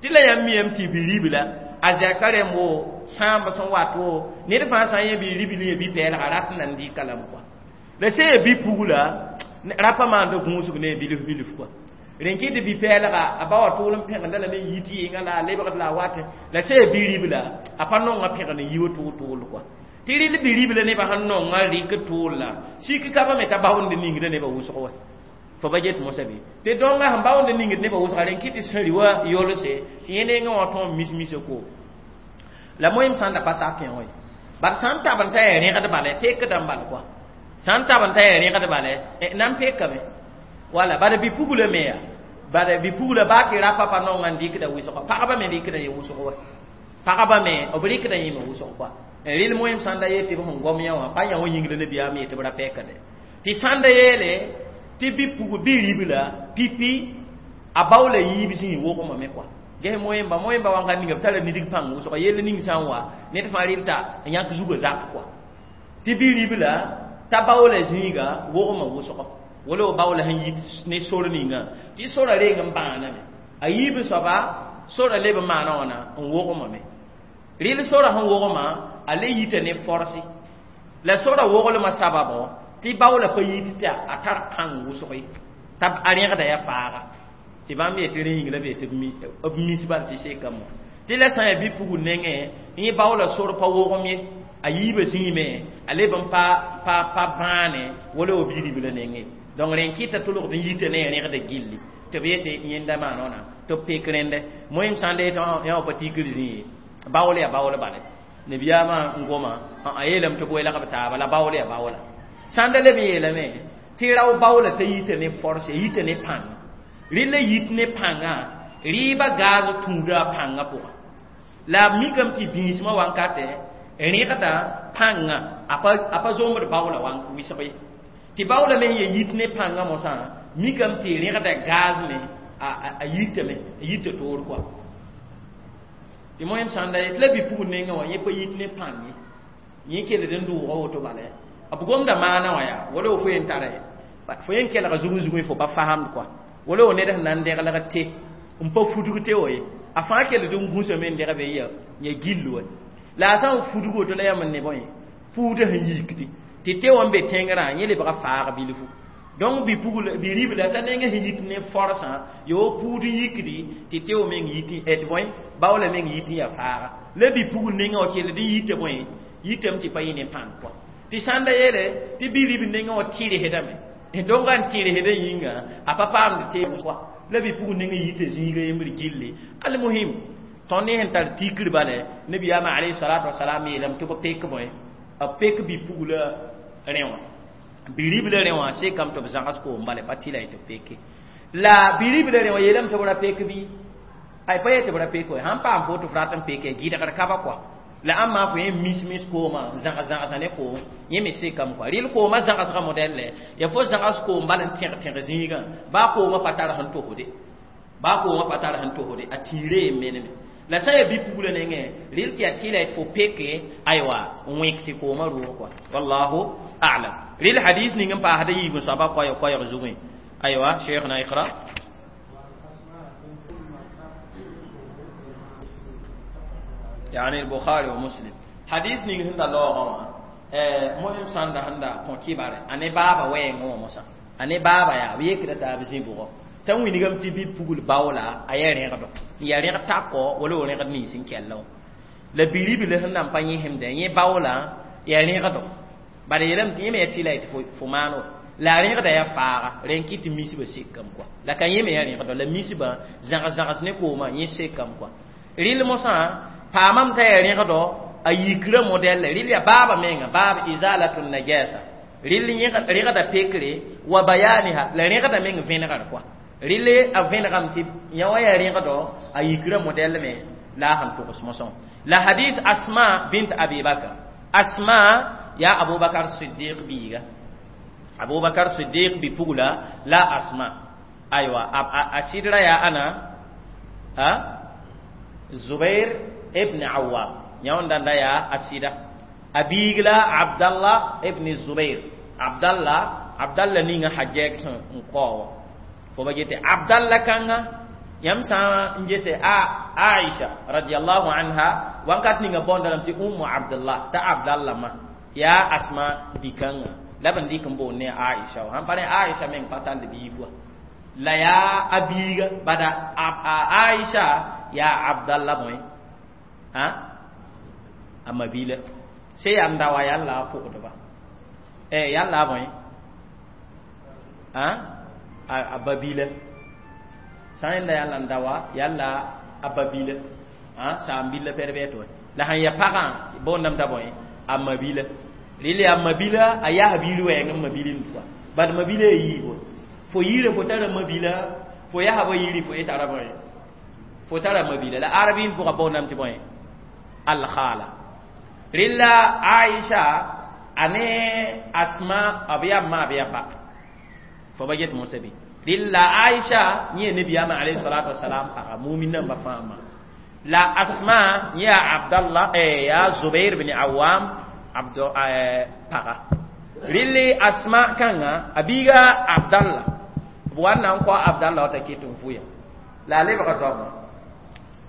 Tɩ la yãmb miame tɩ bi-ribla a zɛka rẽmb wo sãamb sẽn wat wo ned fãa sã n yẽ bi-ribl yẽ bi-pɛɛlga rat n nan dɩka lame kɔa. La sẽn ya bi-pugla rapa maanda gũusg ne bilf bilf kɔa. Rẽn kɩ tɩ bi-pɛɛlga a ba wa tʋʋl n pẽgenda lame n yi tɩ yɩnga la a lebgd la a wat la sẽn ya bi-ribla a pa nonga pẽgd n yi wa tʋʋl-tʋʋl kɔa. Tɩ rɩl bi-ribla nebã sẽn nonga rɩk tʋʋl la sik ka pa me t'a baoond ningda nebã wʋsg wa. Fo ba get mosã bɩ tɩ dõngã sẽn baoond ningd nebã wʋsga rẽn kɩ tɩ sẽri wa yolse tɩ yẽ nengẽ wã tõe n mis-misa ko. La moẽm sãn da pa sak yẽ wã ye. Bad sãn tab n ta yaa rẽgd bala pekdã n bal kɔa. Sãn tab n ta yaa rẽgd bala nan pekame. Wala bad bi-pugla me yaa. Bad bi-pugla baa tɩ rapa pa nonga n dɩkda wʋsg pagba me rɩkda yẽ wʋsg wa. Pagba me b rɩkda yẽ me wʋsg kɔa. Rɩl moẽm sãn da yet tɩ b sẽn gom yã wã pa yã wã yĩngr nabiyaam yet tɩ b ra pɛkde. Tɩ sãn da yeele tɩ bi-pugl bi-ribla pipi a baoola yiib zĩig wogmame kɔa. Ges moẽmba moẽmba wãnga ninga b tara nidg pãng wʋsga yell ning sã n wa ned fãa rɩl t'a n yãk zugã zak kɔa. Tɩ bi-ribla t'a baoola zĩiga wogmã wʋsgo wala b baoola sẽn yit ne sor ninga tɩ sora reng n bãaname. A yiib soaba sora leb n maana wãna n wogmame. Rɩl sora sẽn wogmã a le yita ne forsi. La sora woglmã sababo tɩ baoola pa yit tɩ a tar pãng wʋsg ye t'a a rẽgda yaa faaga. Tɩ bãmb yetɩ rẽ yĩng la b yetɩ b mis bal tɩ sekame. Tɩ la sã n yaa bi-pugl nengẽ yẽ baoola sor pa wogem ye a yiibã zĩime a leb n pa pa pa bãane wala wa bi-ribla nengẽ. Donc rẽn kɩta tʋlgd n yita ne a rẽgda gilli tɩ b yetɩ yẽnda maan wãna tɩ b pek rẽndɛ. Moẽm sã n da yetɩ yã wã pa tikr zĩ ye baool yaa baool bale. Nabiyaamã n goma a yeelame tɩ b welg b taaba la baool yaa baoola. Sãn da leb n yeelame tɩ rao baoola t'a yita ne force a yita ne pãng. Rɩl la yit ne pãngã rɩɩbã gaaz tũuda a pãngã pʋgã. La b mikame tɩ bĩismã wankatɛ rẽgda pãngã a pa zombd baoola wɩsg ye. Tɩ baoola me sẽn ya yit ne pãngã mosã mikame tɩ rẽgda gaaz me a yitame a yita toor kɔa. Tɩ moẽm sãn da yet la bi-pugl nengẽ wã yẽ pa yit ne pãng ye. Yẽ keled n dʋʋga woto bala b gomda maana wã yaa wala fo yen tara fo yen kelga zugẽ zugẽ fo pa fasamd kɔa. Wala wo ned sẽn na n dẽglg te n pa fudg te wa ye a fãa keled n gũsame n degbe n ya gill wa. La a sã n fudg woto la yãmb n ne bõe fuudã sẽn yikdi tɩ te wã n be tẽngrã yẽ lebga faag bilfu. Donc bi-pugl bi-ribla t'a nengẽ sẽn yit ne forsã yaa wa puud n yikdi tɩ te wã meng yit d bõe baoola meng yit n yaa faaga. La bi-pugl nengẽ wã kelld n yita bõe yitame tɩ pa yẽ ne pãng kɔa. Tɩ sãn da yeele tɩ bi-ribl nengẽ wã tɩrsdame dõnga n tɩrsdã yĩnga a pa paamd te kɔa. La bi-pugl nengẽ yita zĩiga yembr gilli. Almuhim tõnd ne sẽn tar tikr bala nabiyaamã alayhi salatu wasalam yeelame tɩ b pek bõe b pek bi-pugla rẽ wã. Bi-ribla rẽ wã sekame tɩ b zãgs koom bala pa tɩ la tɩ b peke. La bi-ribla rẽ wã yeelame tɩ b ra pek bɩ ay pa yet tɩ b ra pek wa sãn paam fo tɩ f rat n peke gɩdgr ka ba kɔa. La ãmba fo yẽ mis-mis koomã zãgs-zãgsa ne koom yẽ me sekame kɔa. Rɩl koomã zãgsgã modɛl ya fo zãgs koom bal n tẽg tẽg zĩigã baa koomã pa tar sẽn tosde baa koomã pa tar sẽn tosde a tĩirã yen meneme. La sã n yaa bi-pugla nengẽ rɩl tɩ yaa tɩ la fo peke aywa n wẽk tɩ koomã roog kɔa. Wallahu a'lam. Rɩl hadis ning n paasda yiib n soaba koɛɛg koɛɛg zugẽ. Aywa cheikhna iqra. يعني البخاري ومسلم حديث نين هندا لوغا مهم ساندا هندا كون كيبار اني بابا وين موسى اني بابا يا ويكدا تا بزي بوغو tã wilgame tɩ bi-pugl baoola a yaa rẽgdo n yaa rẽg takɔ wala wa rẽgd nins n kell wã. La bi-ribl sẽn na n pa yẽsemdã yẽ baoola yaa rẽgdo bala yeelame tɩ yẽ me yaa tɩ la tɩ fo maan wa la a rẽgda yaa faaga rẽn kɩ tɩ misbã sekame kɔa. La ka yẽ me yaa rẽgdo la misbã zãgs-zãgs ne koomã yẽ sekame kɔa. Rɩl mosã paamame t'a yaa rẽgdo a yikrã modɛl rɩl yaa baaba menga baab izalatun najasa rɩl rẽgda pekre wa bayaniha la rẽgda meng vẽnegr kɔa. Rɩl a vẽnegame tɩ yã wã yaa rẽgdo a yikrã modɛl me la a sẽn togs mosã. La hadis Asma bint Abi Bakr. Asma yaa Abubakar Siddiq biiga. Abubakar Siddiq bi pugla la Asma aywa a sidra ya ana a Zubair ibn Awwam yãwã ya a sɩda a biig la Abdallah ibn Zubair Abdallah Abdallah ninga Hajjaj sẽn n kao wã fo ba gete Abdallah kãnga yãmb sã n gese a Aisha radiyallahu anha wankat ninga bõnda lame tɩ Ummu Abdullah t'a Abdallah ma yaa Asma bi-kãngã la b n dɩk n boond ne Aisha wã sãn pa rẽ Aisha meng pa tall biig wa la yaa a biiga bada Aisha yaa Abdallah bõe a a mabila se yaa n da wa yaa la a pʋgdba eh yaa la a bõe a a babila sã n yẽnda yaa la n da wa yaa la a babila a saam-bil pɛd bɩ la sãn ya pagã boondame t'a bõe a mabila rɩl yaa mabila a yaa biir wɛɛng n mabilind pʋga bad mabila ya yiibo fo yiirã fo tara mabila fo yasba yiiri fo ye tara bõe fo tara mabila la arabin pʋga boondame tɩ bõe alkhala rɩla Aisha ane Asma b yaa ma b yaa ba fo ba get mosa bɩ rɩla Aisha yẽ nabiyaamã alayhi salatu wasalam paga mumin namba fãa ma la Asma yẽ yaa Abdallah eh, yaa Zubair bin Awam abdo eh, paga rɩle Asma kãngã a biiga Abdallah b wa n na n kao Abdallah t'a ket n vʋya la a lebga zaoobã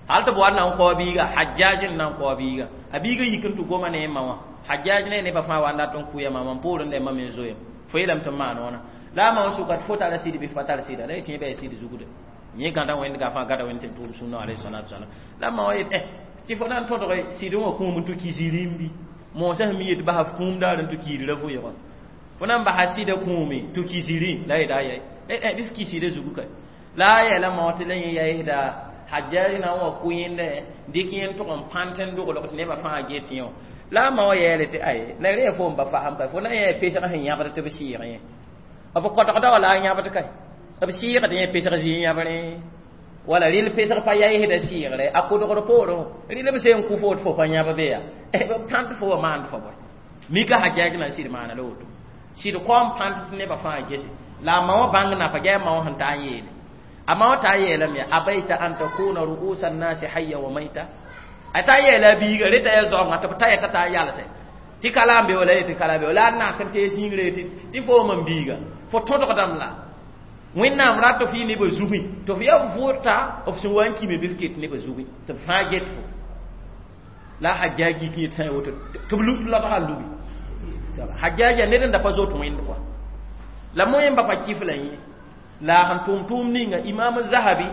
hal tɩ b wa n na n kao biiga Hajjaj n na n kao biiga a biiga yik n tɩ goma ne a ma wã Hajjaj ne nebã fãa wa n dat n kʋya ma mam poorẽ la mam n zoeem fo yeelame tɩ m maan wãna la a ma wã sʋka tɩ fo tara sɩd bɩ fo pa tar sɩda la y tẽ bɩ a sɩd zugda yẽ gãda wẽnd ga fãa gada wẽnd tɩ tʋʋm sũnna alayhi salatu wasalam la a ma wã yet eh tɩ fo na n tõdg sɩd wã kũum n tɩ ki zĩrim bɩ moosã sẽn mi yet basa f kũum daar n tɩ kiidra vʋɩgã fo na n basa sɩda kũume tɩ ki zĩrĩ la yeta ayɛ eh eh bɩ f ki sɩda zugu ka la a yɛla ma tɩ la yẽ yaɩsda Hajjaj na n wa kʋ yẽndɛ dɩk yẽnd tʋg n pãnt n doglg tɩ nebã fãa get yẽ wã la a ma wã yeele tɩ ay la rẽ fo n ba fasem ka fo na yẽ pesg sẽn yãbd tɩ b sɩɩg yẽ b kɔdgda wala a yãbd ka b sɩɩgd yẽ pesg zĩ yãbre wala rɩl pesg pa yaɩsda sɩɩgre a kʋdgd poorẽ rɩl b sẽn kʋ fo tɩ fo pa yãb be yaa b pãnt fo wa maand fo bõe mika Hajjaj na n sɩd maana la woto sɩd kaoom pãnt tɩ nebã fãa gese la a ma wã bãng napa gɛ a ma wã sẽn ta n yeele a ma wã ta yeelame yaa abaita an takuna ru'usa nnasi hayya wa maita a ta yeela a biiga reta ya zaoongã tɩ b ta yɛta t'a yalsɛ tɩ kala n be wala tɩ kala be wala a nak n tees yĩngre tɩ tɩ fo mam biiga fo tõdgdame la wẽnnaam rat f yɩ nebã zugẽ tɩ f yaa vʋʋrta f sẽn wa n kime bɩ f ket nebã zugẽ tɩ b fãa get fo la a Hajjaj yik yet sã n woto tɩ b lobga lubi Hajjaja ned n da pa zot wẽnd kɔa la moẽmba pa kɩf la yẽ la a sẽn tʋʋm tʋʋm ninga Imam Zahabi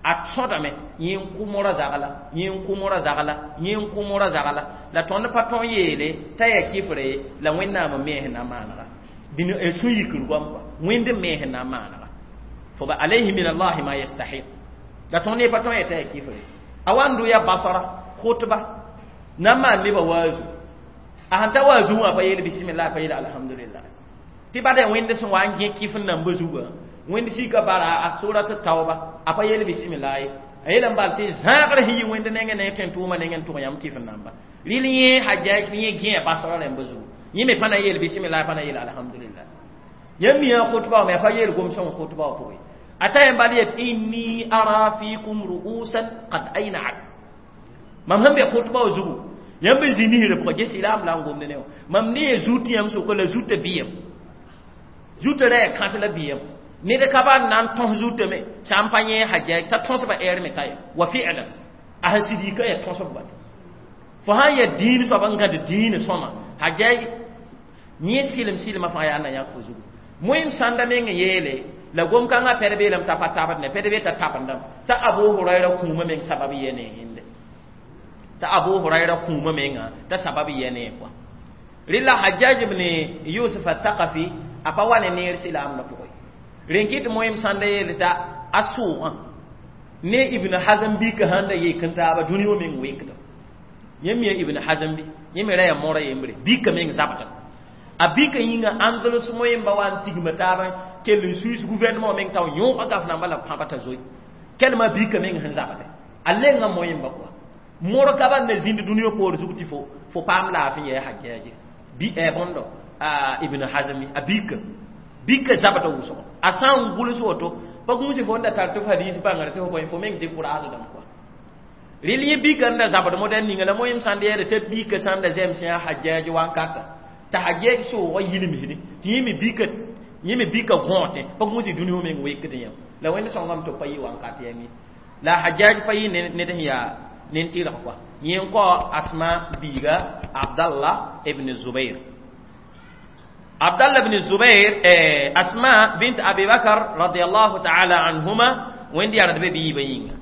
a tõdame yẽ n kʋ mora zagla yẽ n kʋ mora zagla yẽ n kʋ mora zagla la tõnd pa tõn yeele t'a yaa kɩfre la wẽnnaam n me sẽn na n maanega dĩn sũ-yikr goam kɔa wẽnd n me sẽn na n maanega fo ba alayhi min allahi ma yastahiq la tõnd ne pa tõn yetã yaa kɩfre a wa n dʋ ya Basra khutba na n maan nebã waazu a sẽn ta waazu wã pa yeel bisimillah pa yeel alhamdulillah tɩ bada wẽnd sẽn wa n gẽ kɩf n namba zugã wẽnd sika bara a surat tauba a pa yeel bisimillah ye a yeelame bal tɩ zãagr sẽn yi wẽnd nengẽ ne tẽn tʋʋmã nengẽ n tʋg yãmb kɩf n namba rɩl yẽ Hajjaj yẽ gẽ Basra rãmba zugu yẽ me pa na yeel bisimillah pa na yeel alhamdulillah yãmb mi yã khutba me a pa yeel gom-sõng khutba wã pʋgẽ a ta yẽn bal yet inni ara fikum ru'usan qad ayna'at mam sẽn be khutba wã zugu yãmb n zĩ nisrã pʋgã ges-silaam la n gomd ne wã mam ne zut yãmb sʋka la zutã bɩyem zutã ra yaa kãs la bɩyem ned ka ba n na n tõs zutame sã n pa yẽ Hajjaj t'a tõsba ɛɛr me ka ye wa fi'lan a sẽn sɩd yika yaa tõsb bala fo sãn yaa dĩin soab n gãd dĩin sõma Hajjaj yẽ sɩlem sɩlmã fãa yaa na yãk fo zugu moẽm sãnda meng yeele la gom-kãngã pɛd beelame t'a pa tabd ne pɛd be t'a tabendame t'a Abu Hurayra kũumã meng sabab yɛ ne yẽnde t'a Abu Hurayra kũumã menga t'a sabab yɛ ne kɔa rɩla Hajjaj ibn Yusuf al-Thaqafi a pa wa ne neer silaamdã pʋgẽ rẽn kɩt moẽm sãnda yeele t'a a sʋʋgã ne Ibn Hazm bika sãn da yek n taaba dũni wã meng wekda yãmb mi Ibn Hazm bɩ yẽ me ra yaa mora yembre bika meng zabda a bika yĩnga Andalus moẽmba wa n tigma taaba kell n suis gouvernement meng tao yõoga gaf namba la pãba t'a zoe kelma bika meng sẽn zabde a lenga moẽmba kɔa mor ka ban na zĩnd dũniyã poor zug tɩ fo fo paam laafɩ yɛɛ Hajjaji bi bõndo Ibn Hazmi a bika Bika zabda wʋsgo a sã n gʋls woto pa gũus fo n da tar tɩ f hadiis bãngr tɩ fo bõe fo meng dɩk raasdame kɔa. Rel yẽ bika n da zabd modɛl ninga la moyem sãn yeele tɩ bika sãn da zɛms yã Hajjaj wankata t'a Hajjaj soogã yilmisde tɩ yẽ me bika yẽ me bika gõotẽ pa gũus dũni fo meng wekd yãmb la Wẽnd sõngame tɩ b pa yɩ wankat yãmb ye la Hajjaj pa yɩ ned sẽn yaa nen-tɩrg kɔa. Yẽ n kao Asma biiga Abdallah ibn Zubair. Abdallah ibn Zubair, eh, Asma bint Abi Bakr radiyallahu ta'ala anhuma, Wẽnd yardb biibã yĩnga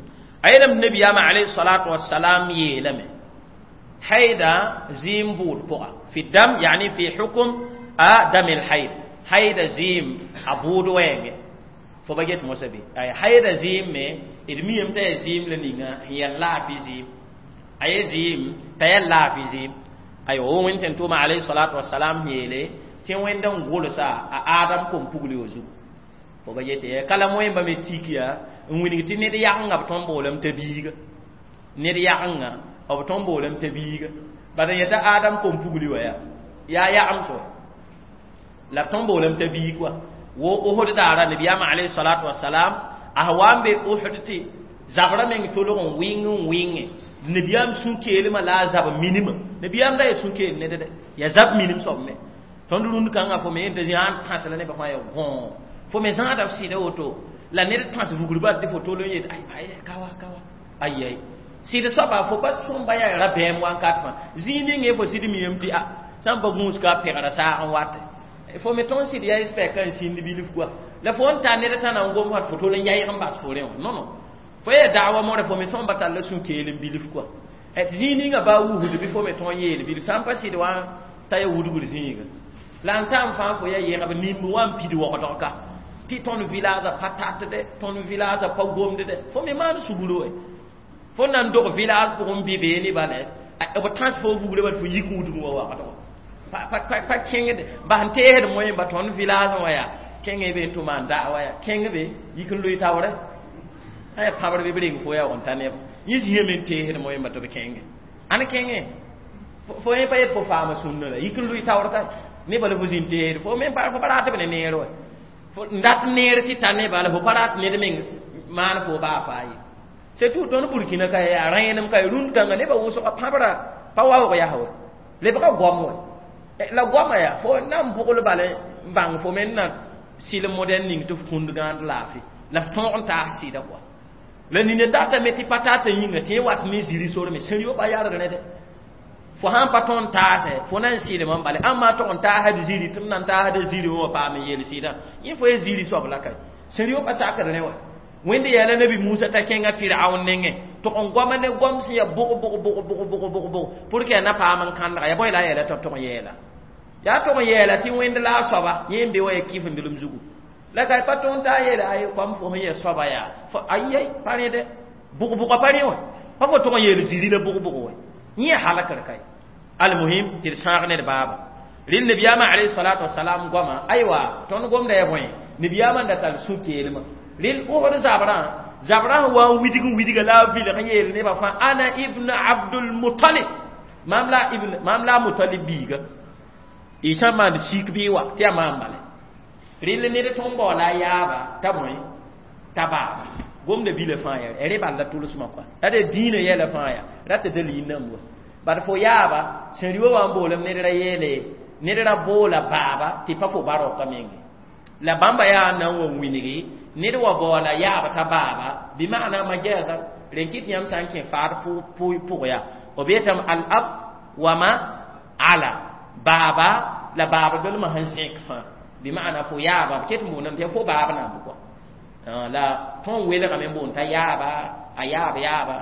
a yeelame nabiyaamã alayhi salatu wassalam yeelame haida zɩɩm bʋʋd pʋga fi dam, yani fi hukm a dam el haid, haida zɩɩm a bʋʋd wɛɛngẽ fo ba get mosã be ay haida zɩɩm me d miame t'a yaa zɩɩm la ninga sẽn yaa laafɩ zɩɩm a ye zɩɩm t'a yaa laafɩ zɩɩm. Aywa, wo Wẽnd tẽn tʋʋma alayhi salatu wassalam yeele tɩ Wẽnd n gʋlsa a Adam kom pugl yo zugu fo ba yetɩ kala moẽmba me tik yaa n wilg tɩ ned yagenga b tõnd boolame t'a biiga ned yagenga b tõnd boolame t'a biiga bad n yeta Adam kom pugli wa yaa yaa yagem so la b tõnd boolame t'a biig wa wo Uhud daara nabiyaamã alayhi salatu wasalam a wa n be Uhud tɩ zabra meng tolg n wɩng n wɩnge nabiyaam sũ-keelmã la a zab minimã nabiyaam da ya sũ-keel ned dɛ ya zab minim soab me tõnd rũnd kãngã fo me yẽn t'a zĩ sãn tãs la nebã fãa ya gõ fo me zãada f sɩda woto la ned tãs vugr bal tɩ fo tol n yet ay ay kawa kawa ay ay sɩd soaba fo pa sõmba yaa rabɛɛm wankat fãa zĩig ning fo sɩd miyame tɩ a sã n pa gũus ka pɛgra saag n wate fo me tõnd sɩd yaa spɛka n sĩnd bilf kɔa la fo n tar ned tã na n gom fat fo tol n yayg n bas fo rẽ wã non non fo yaa daawa modɛ fo me sõmba tall sũ-keel n bilf kɔa tɩ zĩig ninga baa wusd bɩ fo me tõnd yeel bilf sã n pa sɩd wã t'a ya wudgr zĩiga la n tãm fãa fo yaa yẽgb nimb wã n pid waoodg ka tɩ tõnd village pa tatde tõnd village pa gomd dɛ fo me maan sugr we fo na n dog village pʋgẽ bɩ beene bala b tãs fo vugre bal fo yik wudg wa wagdg pa kẽngd bas n teesd moẽ ba tõnd village wã yaa kẽngẽ be n tʋ maan daa yaa kẽng be yik n loe taoorɛ sã ya pãbr bɩ b reng fo yaa n ta neb yẽ zĩame n teesd moẽ ba tɩ b kẽnge ãn kẽngẽ fo yẽ pa yet fo faama sũnna la yik n loe taoor ka nebã la fo zĩn teesd fo me fo pa rat b ne neer wa n dat neer tɩ ta nebã la fo pa rat ned meng maan fo baa faa ye c'est tout. Tõnd Burkina ka yaa rẽenem ka rũnd kãnga nebã wʋsga pãbra pa waoog yaa wa lebga goam wa la goama yaa fo na n bʋgl bala n bãng fo me na sɩlem modɛl ning tɩ f kũnd gãand laafɩ la f tõog n taas sɩda kɔa la nina datame tɩ pa tata yĩnga tɩ yẽ wat ne ziri sor me sẽn yopa yarg rẽ dɛ fo sãn pa tõnd taasɛ fo na n sɩdem n bale ãmb maa tog n taasd ziri tɩ m na n taasda ziri wã paam n yel sɩdã yẽ fo ye ziri soab la ka sẽn yopa sakd rẽ wa Wẽnd yaala nabi Musa t'a kẽnga Firaun nengẽ tog n goama ne goam sẽn yaa bʋg bʋg bʋg bʋg bʋg bʋg bʋg pour que a na paam n kãndga yaa bõe la a yeela tɩ tog n yɛɛla yaa tog n yɛɛla tɩ Wẽnd la a soaba yẽ n be wa ya kɩf-n-dlem zugu la ka pa tõnd t'a yeela ay kom fo sẽn yaa soaba yaa ayai pa rẽ dɛ bʋg-bʋga pa rẽ wã pa fo tog n yeel ziri la bʋg-bʋg wa yẽ halakr kay. Almuhim tɩ d sãag ned baaba rel nabiyaamã alayhi salatu wasalam goama aywa tõnd gomda ya bõe nabiyaamã n da tall sũ-keelmã rel Osd zabrã zabrã sẽn wa n widg n widga la a vilg n yeel nebã fãa ana ibn Abdul Mutalib mam la ibn mam la Mutalib biiga y sã n maan sik bɩ wa tɩ yaa maam bale rel ned tõnd baoola a yaaba t'a bõe t'a baaba gomda bila fãa yaa rẽ bal la tʋlsmã kɔa la d dĩinã yɛla fãa yaa rat dalil nan wa bad fo yaaba sẽn rɩ wa wa n boolem ned ra yeele ned ra boola baaba tɩ pa fo baroka menge la bãmba yaa na n wa wilgi ned wa baoola yaaba t'a baaba bɩ maana majaza rẽn kɩt yãmb sã n kẽ faad pʋg yaa b yetame al ab wa ma ala baaba la baaba dolmã sẽn zẽk fãa bɩ maana fo yaaba b ket n boondame tɩ fo baab namb kɔa la tõnd welgame n boond t'a yaaba a yaab yaaba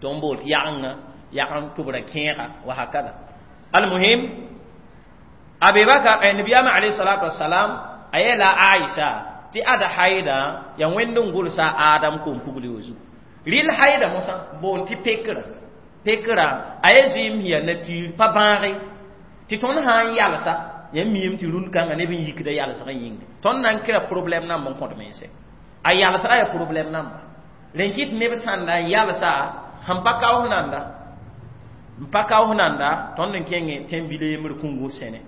tõnd bool tɩ yagenga yagen tʋbra kẽega wa hakada. Almuhim Abi Bakar nabiyaamã alayhi salatu wasalam a yeela Aisha tɩ ada haida ya Wẽnd n gʋlsa Adam kom pugl yo zugu rɩl haida mosã boond tɩ pekra pekra a ye zɩɩm sẽn yaa nature pa bãage tɩ tõnd sã n yalsa yãmb miime tɩ rũnd kãngã neb n yikda yalsg n yĩnga tõnd na n kɩra problème namb n kõt mense a yalsga yaa problème namba rẽn kɩt neb sãnda n yalsa sẽn pa kaoos nanda n pa kaoos nanda tõnd n kẽngẽ tẽn-bil yembr kũngu sẽne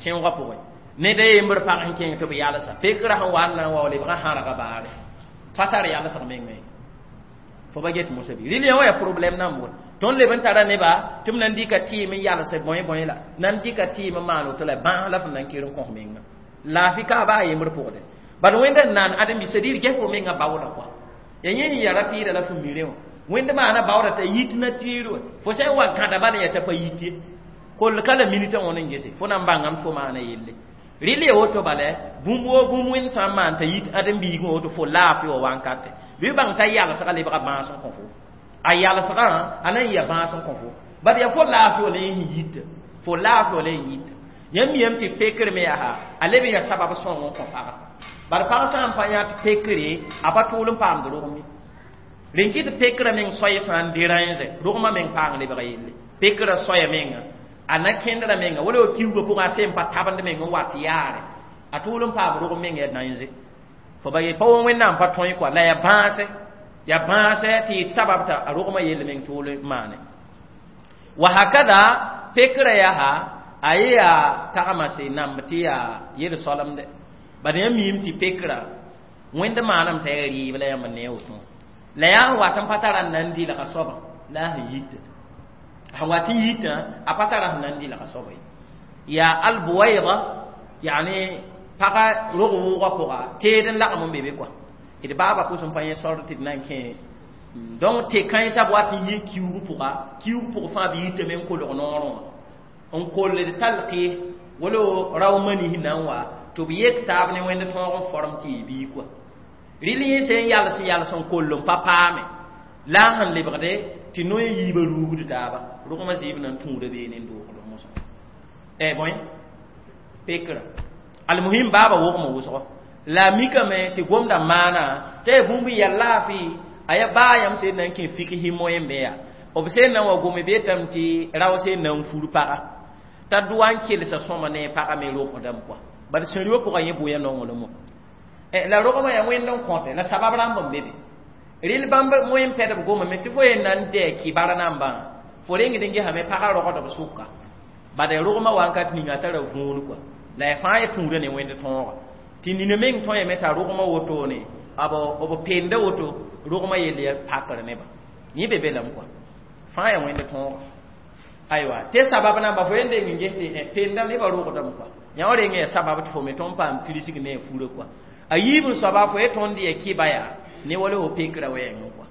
sẽoogã pʋgẽ ne da yembr pag n kẽng tɩ b yalsa pekrã sẽn wa n na n wa lebgã hãrga baare pa tar yalsg mengme fo ba get mosa bɩ rɩl yã wã yaa problɛm nan bʋd tõnd leb n tara neba tɩ b nan dɩka tɩɩm n yalse bõe bõe la nan dɩka tɩɩm n maan woto la bãas la fõn na n ker n kõs menga laafɩ ka baa yembr pʋgdẽ bad wẽnda n naan ãdem-bi c'est-à-dire ges fo menga baooda kɔa ya yẽ sẽn ya rapɩɩda la fo mi rẽ wã wẽnd maana baooda t'a yit nature wã fo sã n wa gãda bala yaa t'a pa yit ye koll ka la minitã wã n gese fo na n bãngame fo maana yelle rɩl ya woto bala bũmb woo bũmb wẽnd sã n maan t'a yit ãdem-biigẽ woto fo laafɩ wa wãnkate bɩ bãng t'a yalsga lebga bãas n kõ fo a yalsgã a na n ya bãas n kõ fo bad yaa fo laafɩ wã la yẽ sẽn yita fo laafɩ wã la yẽ yita yãmb miyame tɩ pekr me yaa a leb n yaa sabab sõng n kõ paga bad pag sã n pa yã tɩ pekre a pa tʋʋl n paamd rogem ye rẽn kɩ tɩ pekrã meng soay sã n derãnze rogmã meng paang lebga yelle pekrã soaya menga a na kẽndrã menga wala wa kiuugã pʋgã a sẽn pa tabend meng n wat yaare a tʋʋl n paam rogem meng yaa dãnze fo ba ye pa wa wẽnnaam pa tõe kɔa la yaa bãase yaa bãase tɩ yɩ sabab t'a a rogmã yell meng tʋʋl n maane wa hakada pekrã yaa a ye yaa tagma se namb tɩ yaa yel-soalemde bad yã miime tɩ pekrã wẽnd maaname t'a yaa rɩɩb la yãmb ne woto la yaa n wat n pa tara n na n dɩlga soabã la a sẽn yita sẽn wat n yitã a pa tara sẽn na n dɩlga soaba ye yaa albuwaida yani paga rog wʋʋgã pʋga teed n lagem n be be kɔa d baaba pʋs n pa yẽ sor tɩ d na n kẽ donc tɩ kãensã b wat n yɩ kiuug pʋga kiuug pʋg fãa b yitame n kolg noorẽ wã n koll d talqɩ wala rao mani sẽn na n wa tɩ b yek taab ne wẽnd tõog n form tɩ yɩ bii kɔa rɩl yẽ sẽn yals yals n koll n pa paame la a sẽn lebgde tɩ noe yiibã ruugd taaba rogmã zɩɩb na n tũuda beene n doogd mosã eh bõe pekrã almuhim baaba wogma wʋsgo la a mikame tɩ gomda maana t'a yaa bũmb n yaa laafɩ a yaa baa yãmb sẽn na n kẽ fiksi moẽ me yaa b sẽn na n wa gome betame tɩ rao sẽn na n fur paga t'a dʋwa n kelsa sõma ne paga me rogdame kɔa bad sẽn-rɩwã pʋgã yẽ bʋya nonglem wã la rogmã yaa wẽnd n kõte la sabab rãmb n be be rɩl bãmb moẽ n pɛdb gomame tɩ fo yen na n dɛ kibara nambã fo rengd n gesame pagã rogdb sʋka bad rogmã wankat ninga tara võor kɔa la ya fãa ya tũuda ne wẽnd tõoga tɩ nina meng tõeme t'a rogmã wotone b b penda woto rogmã yell ya pakr neba yẽ be be lame kɔa fãa ya wẽnd tõoga aywa tɩ sabab namba fo yen deng n ges tɩ penda nebã rogdame kɔa yã wã reng ya sabab tɩ fo me tõnd paam pirsg ne a furã kɔa a yiib n soaba fo ye tõnd ya kɩba yaa ne wala fo pekrã wɛɛngẽ kɔa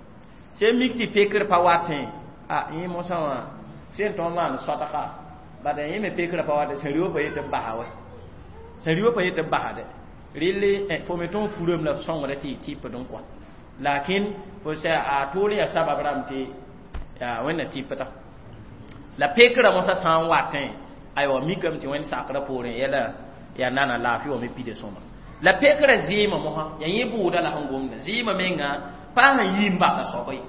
sẽn mik tɩ pekr pa watẽ a yẽ mosã wã sẽn tõnd maan sodga bad yẽ me pekrã pa watẽ sẽn rɩwã pa yetɩ b basa wɛ sẽn rɩwã pa yetɩ b basde rɩl fo me tõnd furame la f sõngda tɩ y tɩpd n kɔa lakin fo sã a tʋʋl yaa sabab rãmb tɩ yaa wẽnna tɩpda la pekrã mosã sã n watẽ aywa mikame tɩ wẽnd sakrã poorẽ yɛla yaa nana laafɩ wa me pida sõma la pekrã zɩɩmã mosã yaa yẽ bʋʋda la sẽn gomda zɩɩmã menga pa sẽn yi n basa soaba ye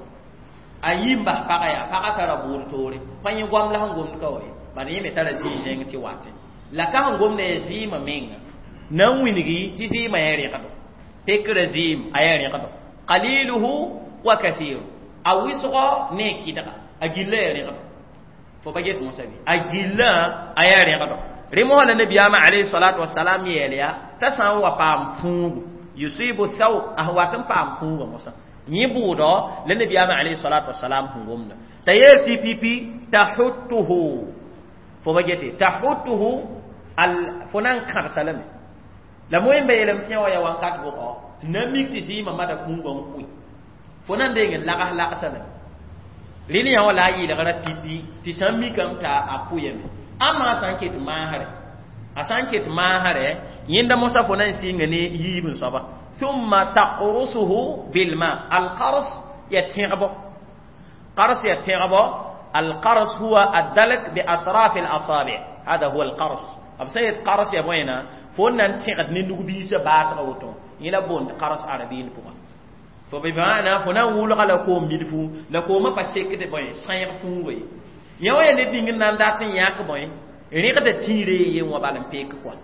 a yi n bas paga yaa paga tara bʋʋd toore pa yẽ goam la sẽn gomd ka wa ye bad yẽ me tara zĩig zẽng tɩ watẽ la ka sẽn gomda yaa zɩɩmã menga na n wilgi tɩ zɩɩmã yaa rẽgdo pekrã zɩɩm a yaa rẽgdo qaliluhu wa kathiru a wɩsgɔ ne a kɩdga a gilla yaa rẽgdo fo ba get mosã bɩ a gillã a yaa rẽgdo rẽ mosã la nabiyaamã alayhi salatu wasalam yeel yaa t'a sã n wa paam fũugu yusibu thawb a sẽn wat n paam fũugã mosã yẽ bʋʋdɔ la nabiyaamã alayhi salatu wasalam sẽn gomda t'a yeel tɩ pipi tahuttuhu fo ba gete tahuttuhu al fo na n kãdsa lame la moẽ ba yeelame tɩ yã wa yaa wãnkat bʋgɔ na mik tɩ zɩɩmã mada fũugã n kʋɩ fo na n deng n lags lagsa lame rɩl yã wã la a yɩlgra pipi tɩ sã n mikame t'a a pʋyame ãmma a sã n ket maasrɛ a sã n ket maasrɛ yẽnda mosã fo na n sɩnga ne yiib n soaba thumma taqrusuhu bilma alqars ya tẽgbo qars ya tẽgbo القرص هو الدلك بأطراف الأصابع هذا هو القرص b sã yet qars ya bõena fo n na n tẽgd ne nug-biisã baasgã woto yẽ la boond qars arabiin pʋga fo bɩ maana fo na n wʋlga la koom bilfu la koomã pa sekd bõe sãeeg fũuga ye yã wã yaa ned ning n na n dat n yãk bõe rẽgda tĩire ye wã bal n peek kɔa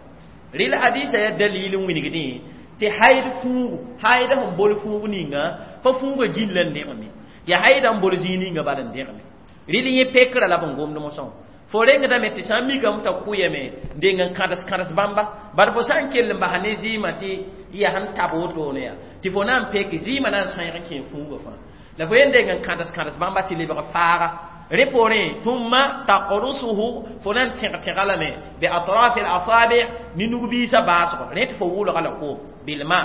rɩl hadisa yaa dalil n wilgdẽ tɩ haid fũugu haida sẽn bol fũug ninga pa fũuga gilla n dẽgeme yaa haida n bol zĩig ninga bal n dẽgeme rɩl yẽ pekrã la b n gomd mosã Fo rengdame tɩ sã n mikame t'a kʋyame n deng n kãdes kãdes bãmba bad fo sã n kell n basa ne zɩɩmã tɩ yaa sẽn tab wotone yaa tɩ fo na n pek zɩɩmã na n sãeeg n kẽ fuugã fãa la fo yen deng n kãdes kãdes bãmba tɩ lebg faaga rẽ poorẽ thumma taqrusuhu fo na n tẽg tẽga lame bi atrafi alasabi ne nugbiisã baasgo rẽ tɩ fo wʋlga la koom bilma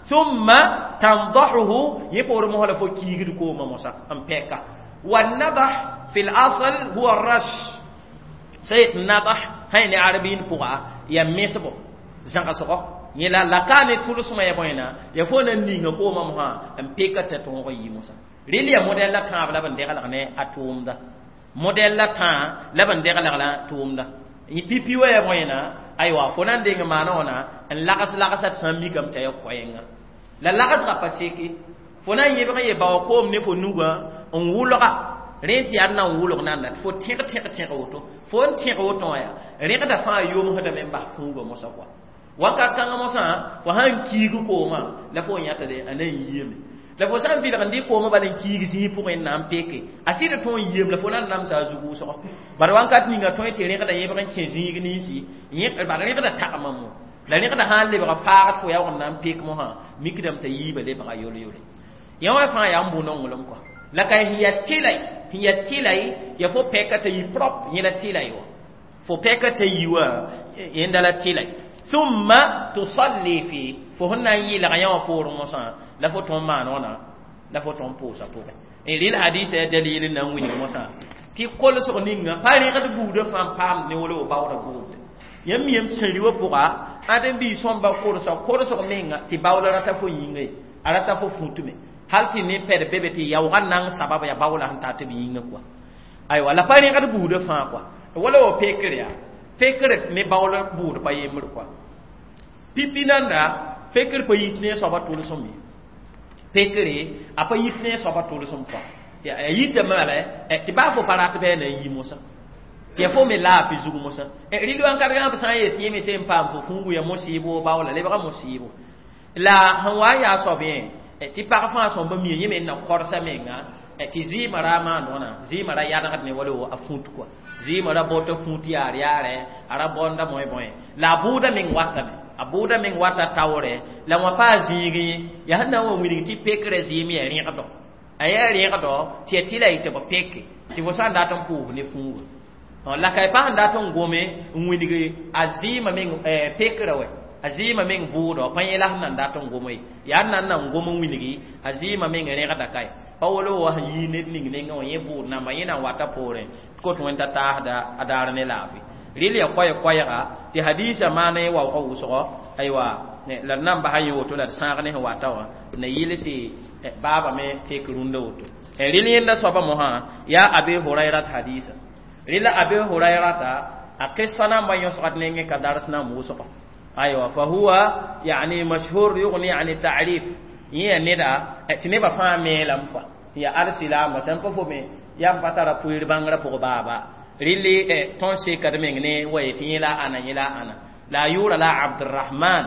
thumma tandahuhu yẽ poorẽ mosã la fo kiigd koomã mosã n pɛka والنضح في الأصل هو الرش سيد نضح هاي عربيين بوغا يا ميسبو زانغاسوغو yẽla la ka ne tʋlsmã ya bõena ya fo na n ninga koomã mosã n peka t'a tõog n yi mosã rɩl ya modɛl la tãab la b n deglg ne a tʋʋmda modɛl la tãa la b n deglg la tʋʋmda pipi wa ya bõena aywa fo na n deng maana wãna n lags lagsa tɩ sã n mikame t'a ya koɛɛnga la lagsga pa seke fo na n yebg n ye bao koom ne fo nugã n wʋlga rẽ tɩ yaa d na n wʋlg nanda tɩ fo tẽg tẽg tẽg woto fo n tẽg woto wã yaa rẽgda fãa yomsdame n bas fuugã mosã kɔa wakat kãngã mosã fo sãn kiig koomã la fo yãta de a na n yiame la fo sã n vɩlg n dɩ koomã bala n kiig zĩig pʋgẽ n na n peke a sɩd tõog n yiam la fo na n namsa a zug wʋsgo bad wakat ninga tõe tɩ rẽgda yẽbg n kẽ zĩig ninsi bad rẽgda tagma mo la rẽgda sã n lebga faagd fo yaoog n na n pek mosã mikdame t'a yiibã lebga yol-yole yã wã fãa yaa n bʋ nonglem kɔa la ka sẽn yaa tɩlay sẽn yaa tɩlay ya fo pɛka t'a yi propre yẽ la tɩlay wã fo pɛka t'a yi wã yẽnda la tɩlay thumma tusalli fi fo sẽn na n yɩlg yã wã poorẽ mosã la fo tõnd maan wãna la fo tõnd pʋʋsa pʋgẽ rɩl hadisa ya dalil n na n wilg mosã tɩ kolsg ninga pa rẽgd buudã fãa n paamd ne wala baoodã buudã yãmb miyame sẽri wã pʋga ãdem-biis sõmba korsa korsg menga tɩ baoola rata fo yĩnga ye a rata fo fũtume hal tɩ ne pɛd be be tɩ yaoogã nang sabab yaa baoola sẽn tar tɩ b yĩnga kɔa aywa la pa rẽgd buudã fãa kɔa wala wa pekr yaa pekr ne baoola buud pa yembr kɔa pipi nanda pekr pa yit ne soaba tʋlsem ye pekre a pa yit ne soaba tʋlsem kɔa a yitame bala tɩ baa fo pa rat bɩ a na n yi mosã tɩ ya fo me laafɩ zug mosã rɩl wãnkat gãb sã n yet yẽ me sẽn paam fo fũugu ya mosɩɩbo baoola lebga mosɩɩbo la sẽn wa n yaa soab yẽ tɩ pag fãa sõmba mia yẽ me n na kɔrsa menga tɩ zɩɩmã ra maand wãna zɩɩmã ra yadgd ne wala a fũut kɔa zɩɩmã ra bota fũut yaar yaarɛ a ra bõnda bõe-bõe la a bʋʋda meng watame a bʋʋda meng wata taoorɛ la wã paa zĩig yẽ yaa sẽn na n wa wilg tɩ pekrã zɩɩm yaa rẽgdɔ a yaa rẽgdɔ tɩ ya tɩ la y tɩ b peke tɩ fo sã n dat n pʋʋs ne fũuga la ka y pa sẽn dat n gome n wilg a zɩɩmã meng pekrã wɛ a zɩɩmã meng bʋʋdɔ pa yẽ la sẽn na n dat n gome ye yaa n na n na n gom n wilgi a zɩɩmã meng rẽgda kae pa wala wa sẽn yii ned ning nengã wã yẽ bʋʋd namba yẽ na n wata poorẽ tɩ kot wẽnta taasda a daar ne laafɩ rɩl ya koɛɛ-koɛɛga tɩ hadiisã maana yẽ waoogã wʋsgɔ aywa la d na n basa yẽ woto la d sãag ne sẽn wata wã na yɩl tɩ baaba me tek rũndã woto rɩl yẽnda soaba mosã yaa abe hurairat hadiisa rɩla abe hurairata a qissa namba yõsgd nengẽ ka dars nan wʋsgɔ aywa fa huwa yani mashhur yughni ani ta'rif yẽ ya neda tɩ nebã fãa meelame kɔa ya alsilaamba sẽn pa fo me yam pa tara pʋɩɩr bãngrã pʋg baaba rɩlli tõnd sekd meng ne wa yetɩ yẽ la ãna yẽ la ãna la a yʋʋra la abdurahman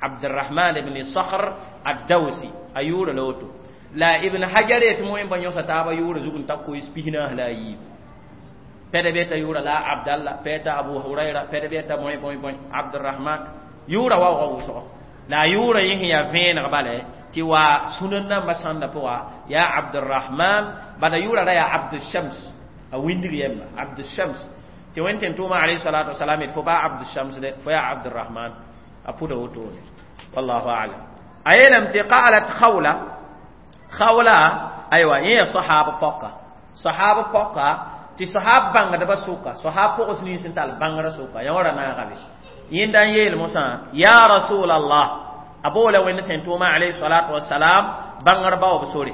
abdurahman ibn sakhr addausi a yʋʋra la woto la ibn hajar yetɩ moẽ ba yõsa taaba yʋʋra zug n ta koees pisnaas la a yiib pɛda be t'a yʋʋra la abdallah pɛ t'a abu huraira pɛda be t'a bõe bõe bõe abdurahman yʋʋra waoogã wʋsgo la a yʋʋra yẽ sẽn yaa vẽeneg bala tɩ wa sũnan nambã sãnda pʋga yaa abdurahman bala yʋʋra ra yaa abdushams a windig yemba abdushams tɩ wẽn tẽn tʋʋma alayhi salatu wasalam d fo baa abdushams de fo yaa abdurahman a pʋda wotone wallahu alam a yeelame tɩ qalat khawla khawla aywa yẽ ya sahab pɔka sahab pɔka tɩ sahab bãngdbã sʋka sahab pʋgs nins n tall bãngrã sʋka yã wã ra naaga be yẽnda n yeel mosã ya rasulallah a boola wẽnd tẽn tʋʋma alayhi salatu wasalam bãngr baoob sore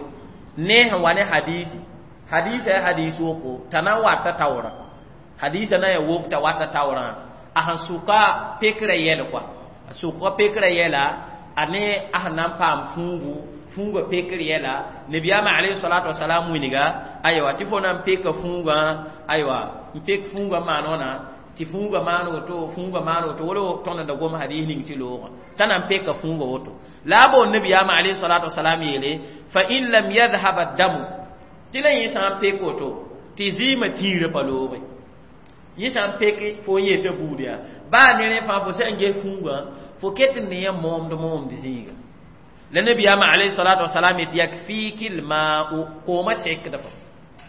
ne sẽn wa ne hadisi hadisa ya hadis woko t'a na n wata taoorã hadisa na ya wok t'a wata taoorã a sẽn sʋka pekrã yɛl kɔa a sʋka pekrã yɛla a ne a sẽn na n paam fũugu fũugã pekr yɛla nabiyaamã alayhi salatu wasalam wilga aywa tɩ fo na n peka fũugã aywa n pek fũugã maan wãna tɩ fũugã maan woto fũugã maan woto wala tõnd da gom hadis ning tɩ loogã t'a na n peka fũugã woto la a boon nabiyaamã alayhi salatu wasalam yeele fa in lam yadhhab addamu tɩ la yẽ sã n pek woto tɩ zɩɩmã tĩirã pa looge Yẽ sã n pek fo n yetã buud yaa baa ne rẽ fãa fo sã n ges fũugã fo ket n ne yã moomd moomd zĩiga la nabiyaamã alayhi salatu wasalam yet yakfiki lma'u koomã sekd fo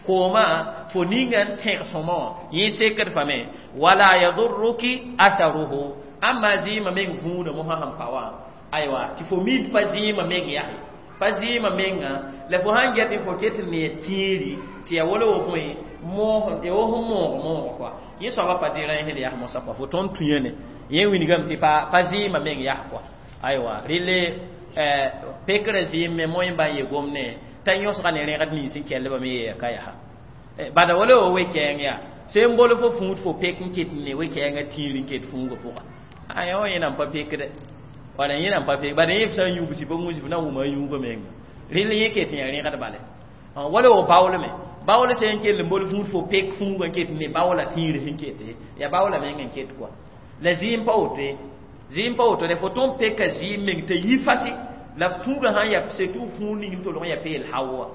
koomã fo ninga n tẽg sõma wã yẽ sekd fame wala yadurruki atharuhu amma zɩɩmã meng vũudã mosã sẽn pa wã aywa tɩ fo mid pa zɩɩmã meng yaa pa zɩɩmã menga la fo sãn get fo ket n ne tĩiri tɩ ya wala wo bõe moog ya wo sẽn moog moog kɔa yẽ soaba pa déranged yaa mosã kɔa fo tõnd tũ ne yẽ wilgame tɩ pa pa zɩɩmã meng yaa kɔa aywa rɩle pekrã zɩɩm me moẽ ba n ye gomne t'a yõsga ne rẽgd nins n kellbame yeeya ka yaa bada wala wo we-kɛɛng yaa sẽn bol fo fũud fo pek n ket ne we-kɛɛngã tĩir n ket fũugã pʋga a yã wã yẽ nan pa pekde wala yẽ nan pa pek bada yẽ f sã n yũub sɩ pa gũus f na n wʋma a yũubã menga rɩl yẽ ket n yaa rẽgd bale wala wo baool me baool sẽn kell n bol fũud fo pek fũugã n ket ne baoola tĩir sẽn kete yaa baoola meng n ket kɔa la zɩɩm pa woto ye zɩɩm pa woto de fo tõnd peka zɩɩm meng t'a yi fasi la fũugã sãn ya surtout fũur ning n tolg n ya peel haowa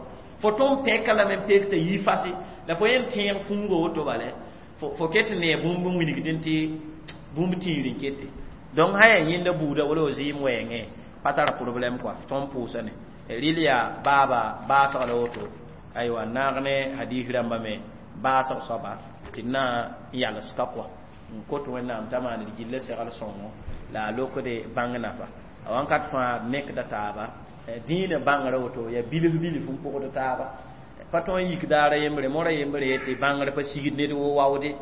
fo tõnd pɛka lame n pek t'a yi fasi la fo yẽn tẽeg fũugã woto bale fo fo ket n ne bũmb n wilgdẽ tɩ bũmb tĩir n kete donc sã yaa yẽnda buuda wala wo zɩɩm wɛɛngẽ pa tar problème quoi tõnd pʋʋsa ne rɩl yaa baaba baasg la woto aywa naag ne hadis rãmba me baasg soaba tɩ d na n yals ka kɔa n kot wẽnnaam t'a maan d gilla segl sõngo la a lokde bãng nafa a wãnkat fãa nekda taaba dĩinã bãngrã woto yaa bilf bilf n pʋgd taaba pa tõe n yik daara yembre mora yembre yetɩ bãngr pa sigd ned wo waoode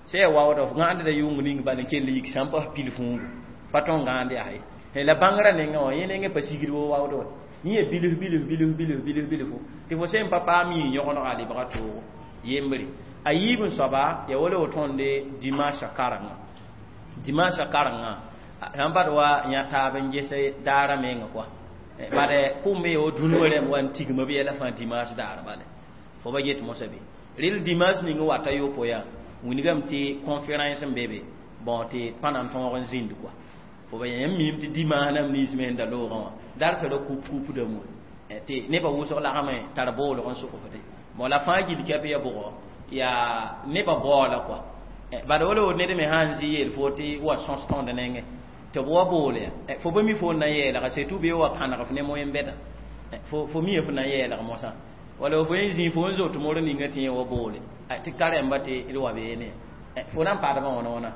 sã yaa waooda f gãandda yʋng ning bal n kell yik sã n pas pil fũugu pa tõe n gãand yaa ye la bãngrã nengã wã yẽ nengẽ pa sigd wo waood wa yẽ yaa bilf bilf bilf bilf bilf bilfu tɩ fo sẽn pa paam yĩig yõgenega a lebga toogo yembre a yiib n soaba ya wala wo tõnde dimanche karengã dimanche karengã sãn bad wa yã taab n ges daara menga kɔa bad kʋʋm me wo dũni rẽmb wa n tigma b yɛla fãa dimanche daar bale fo ba get mosã be rɩl dimanche ning wata yopo yaa wilgame tɩ conférence n be be bon tɩ pa na n tõog n zĩnd kɔa fo ba yãmb miime tɩ dimanche nam nins me sẽn da loogã wã darsã ra kup kupdame wã tɩ nebã wʋsg lagame tar boolg n sʋgfde bon la fãa gill kɛp ya bʋgɔ yaa nebã baoola kɔa bad wala wo ned me sã n zĩ yeel fo tɩ wa sõs tõnd nengẽ tɩ b wa bool ya fo ba mi fo n na n yeelga surtout bee wa kãneg f ne moyen-bɛda fo fo mi f na n yeelg mosã wala fo yẽ zĩ fo n zot mor ninga tɩ yẽ wa boole tɩ karẽmba tɩ d wa beene fo na n padmã wãna wãna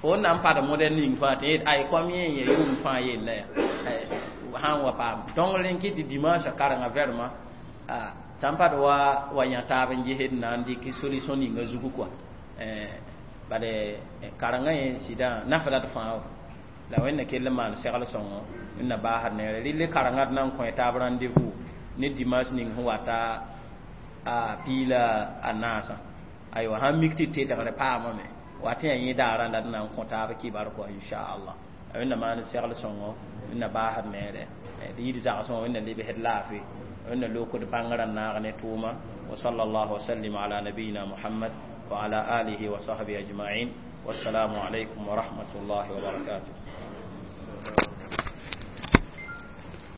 fo n na n pad modɛl ning fãa tɩ ay kom yẽ n ya yʋʋm fãa yella ya sã n wa paam donc rẽn kɩ tɩ dimanche karengã vraiment sã n pad wa wa yã taab n gesd na n dɩk solution ninga zugu kɔa bale karengã yẽ sɩdã nafda d fãa la wẽnna kell n maan segl sõngo wẽnna baasd neere rɩl karengã d na n kõ taab rendez-vous ne dimanche ning sẽn wata a piila a naasã aywa sãn mik tɩ tedgre paamame wat yaa yẽ daarã la d na n kõ taab kibar kɔa inchallah wẽnna maan segl sõngo wẽnna baasd neere d yid zagsẽ wẽnna lebsd laafɩ wẽnna lokd bãngrã n naag ne tʋʋma wa sallallahu wasallim ala nabiyina muhammad wa ala alihi wa sahbihi ajma'in wassalamu alaykum wa rahmatullahi wa barakatuh.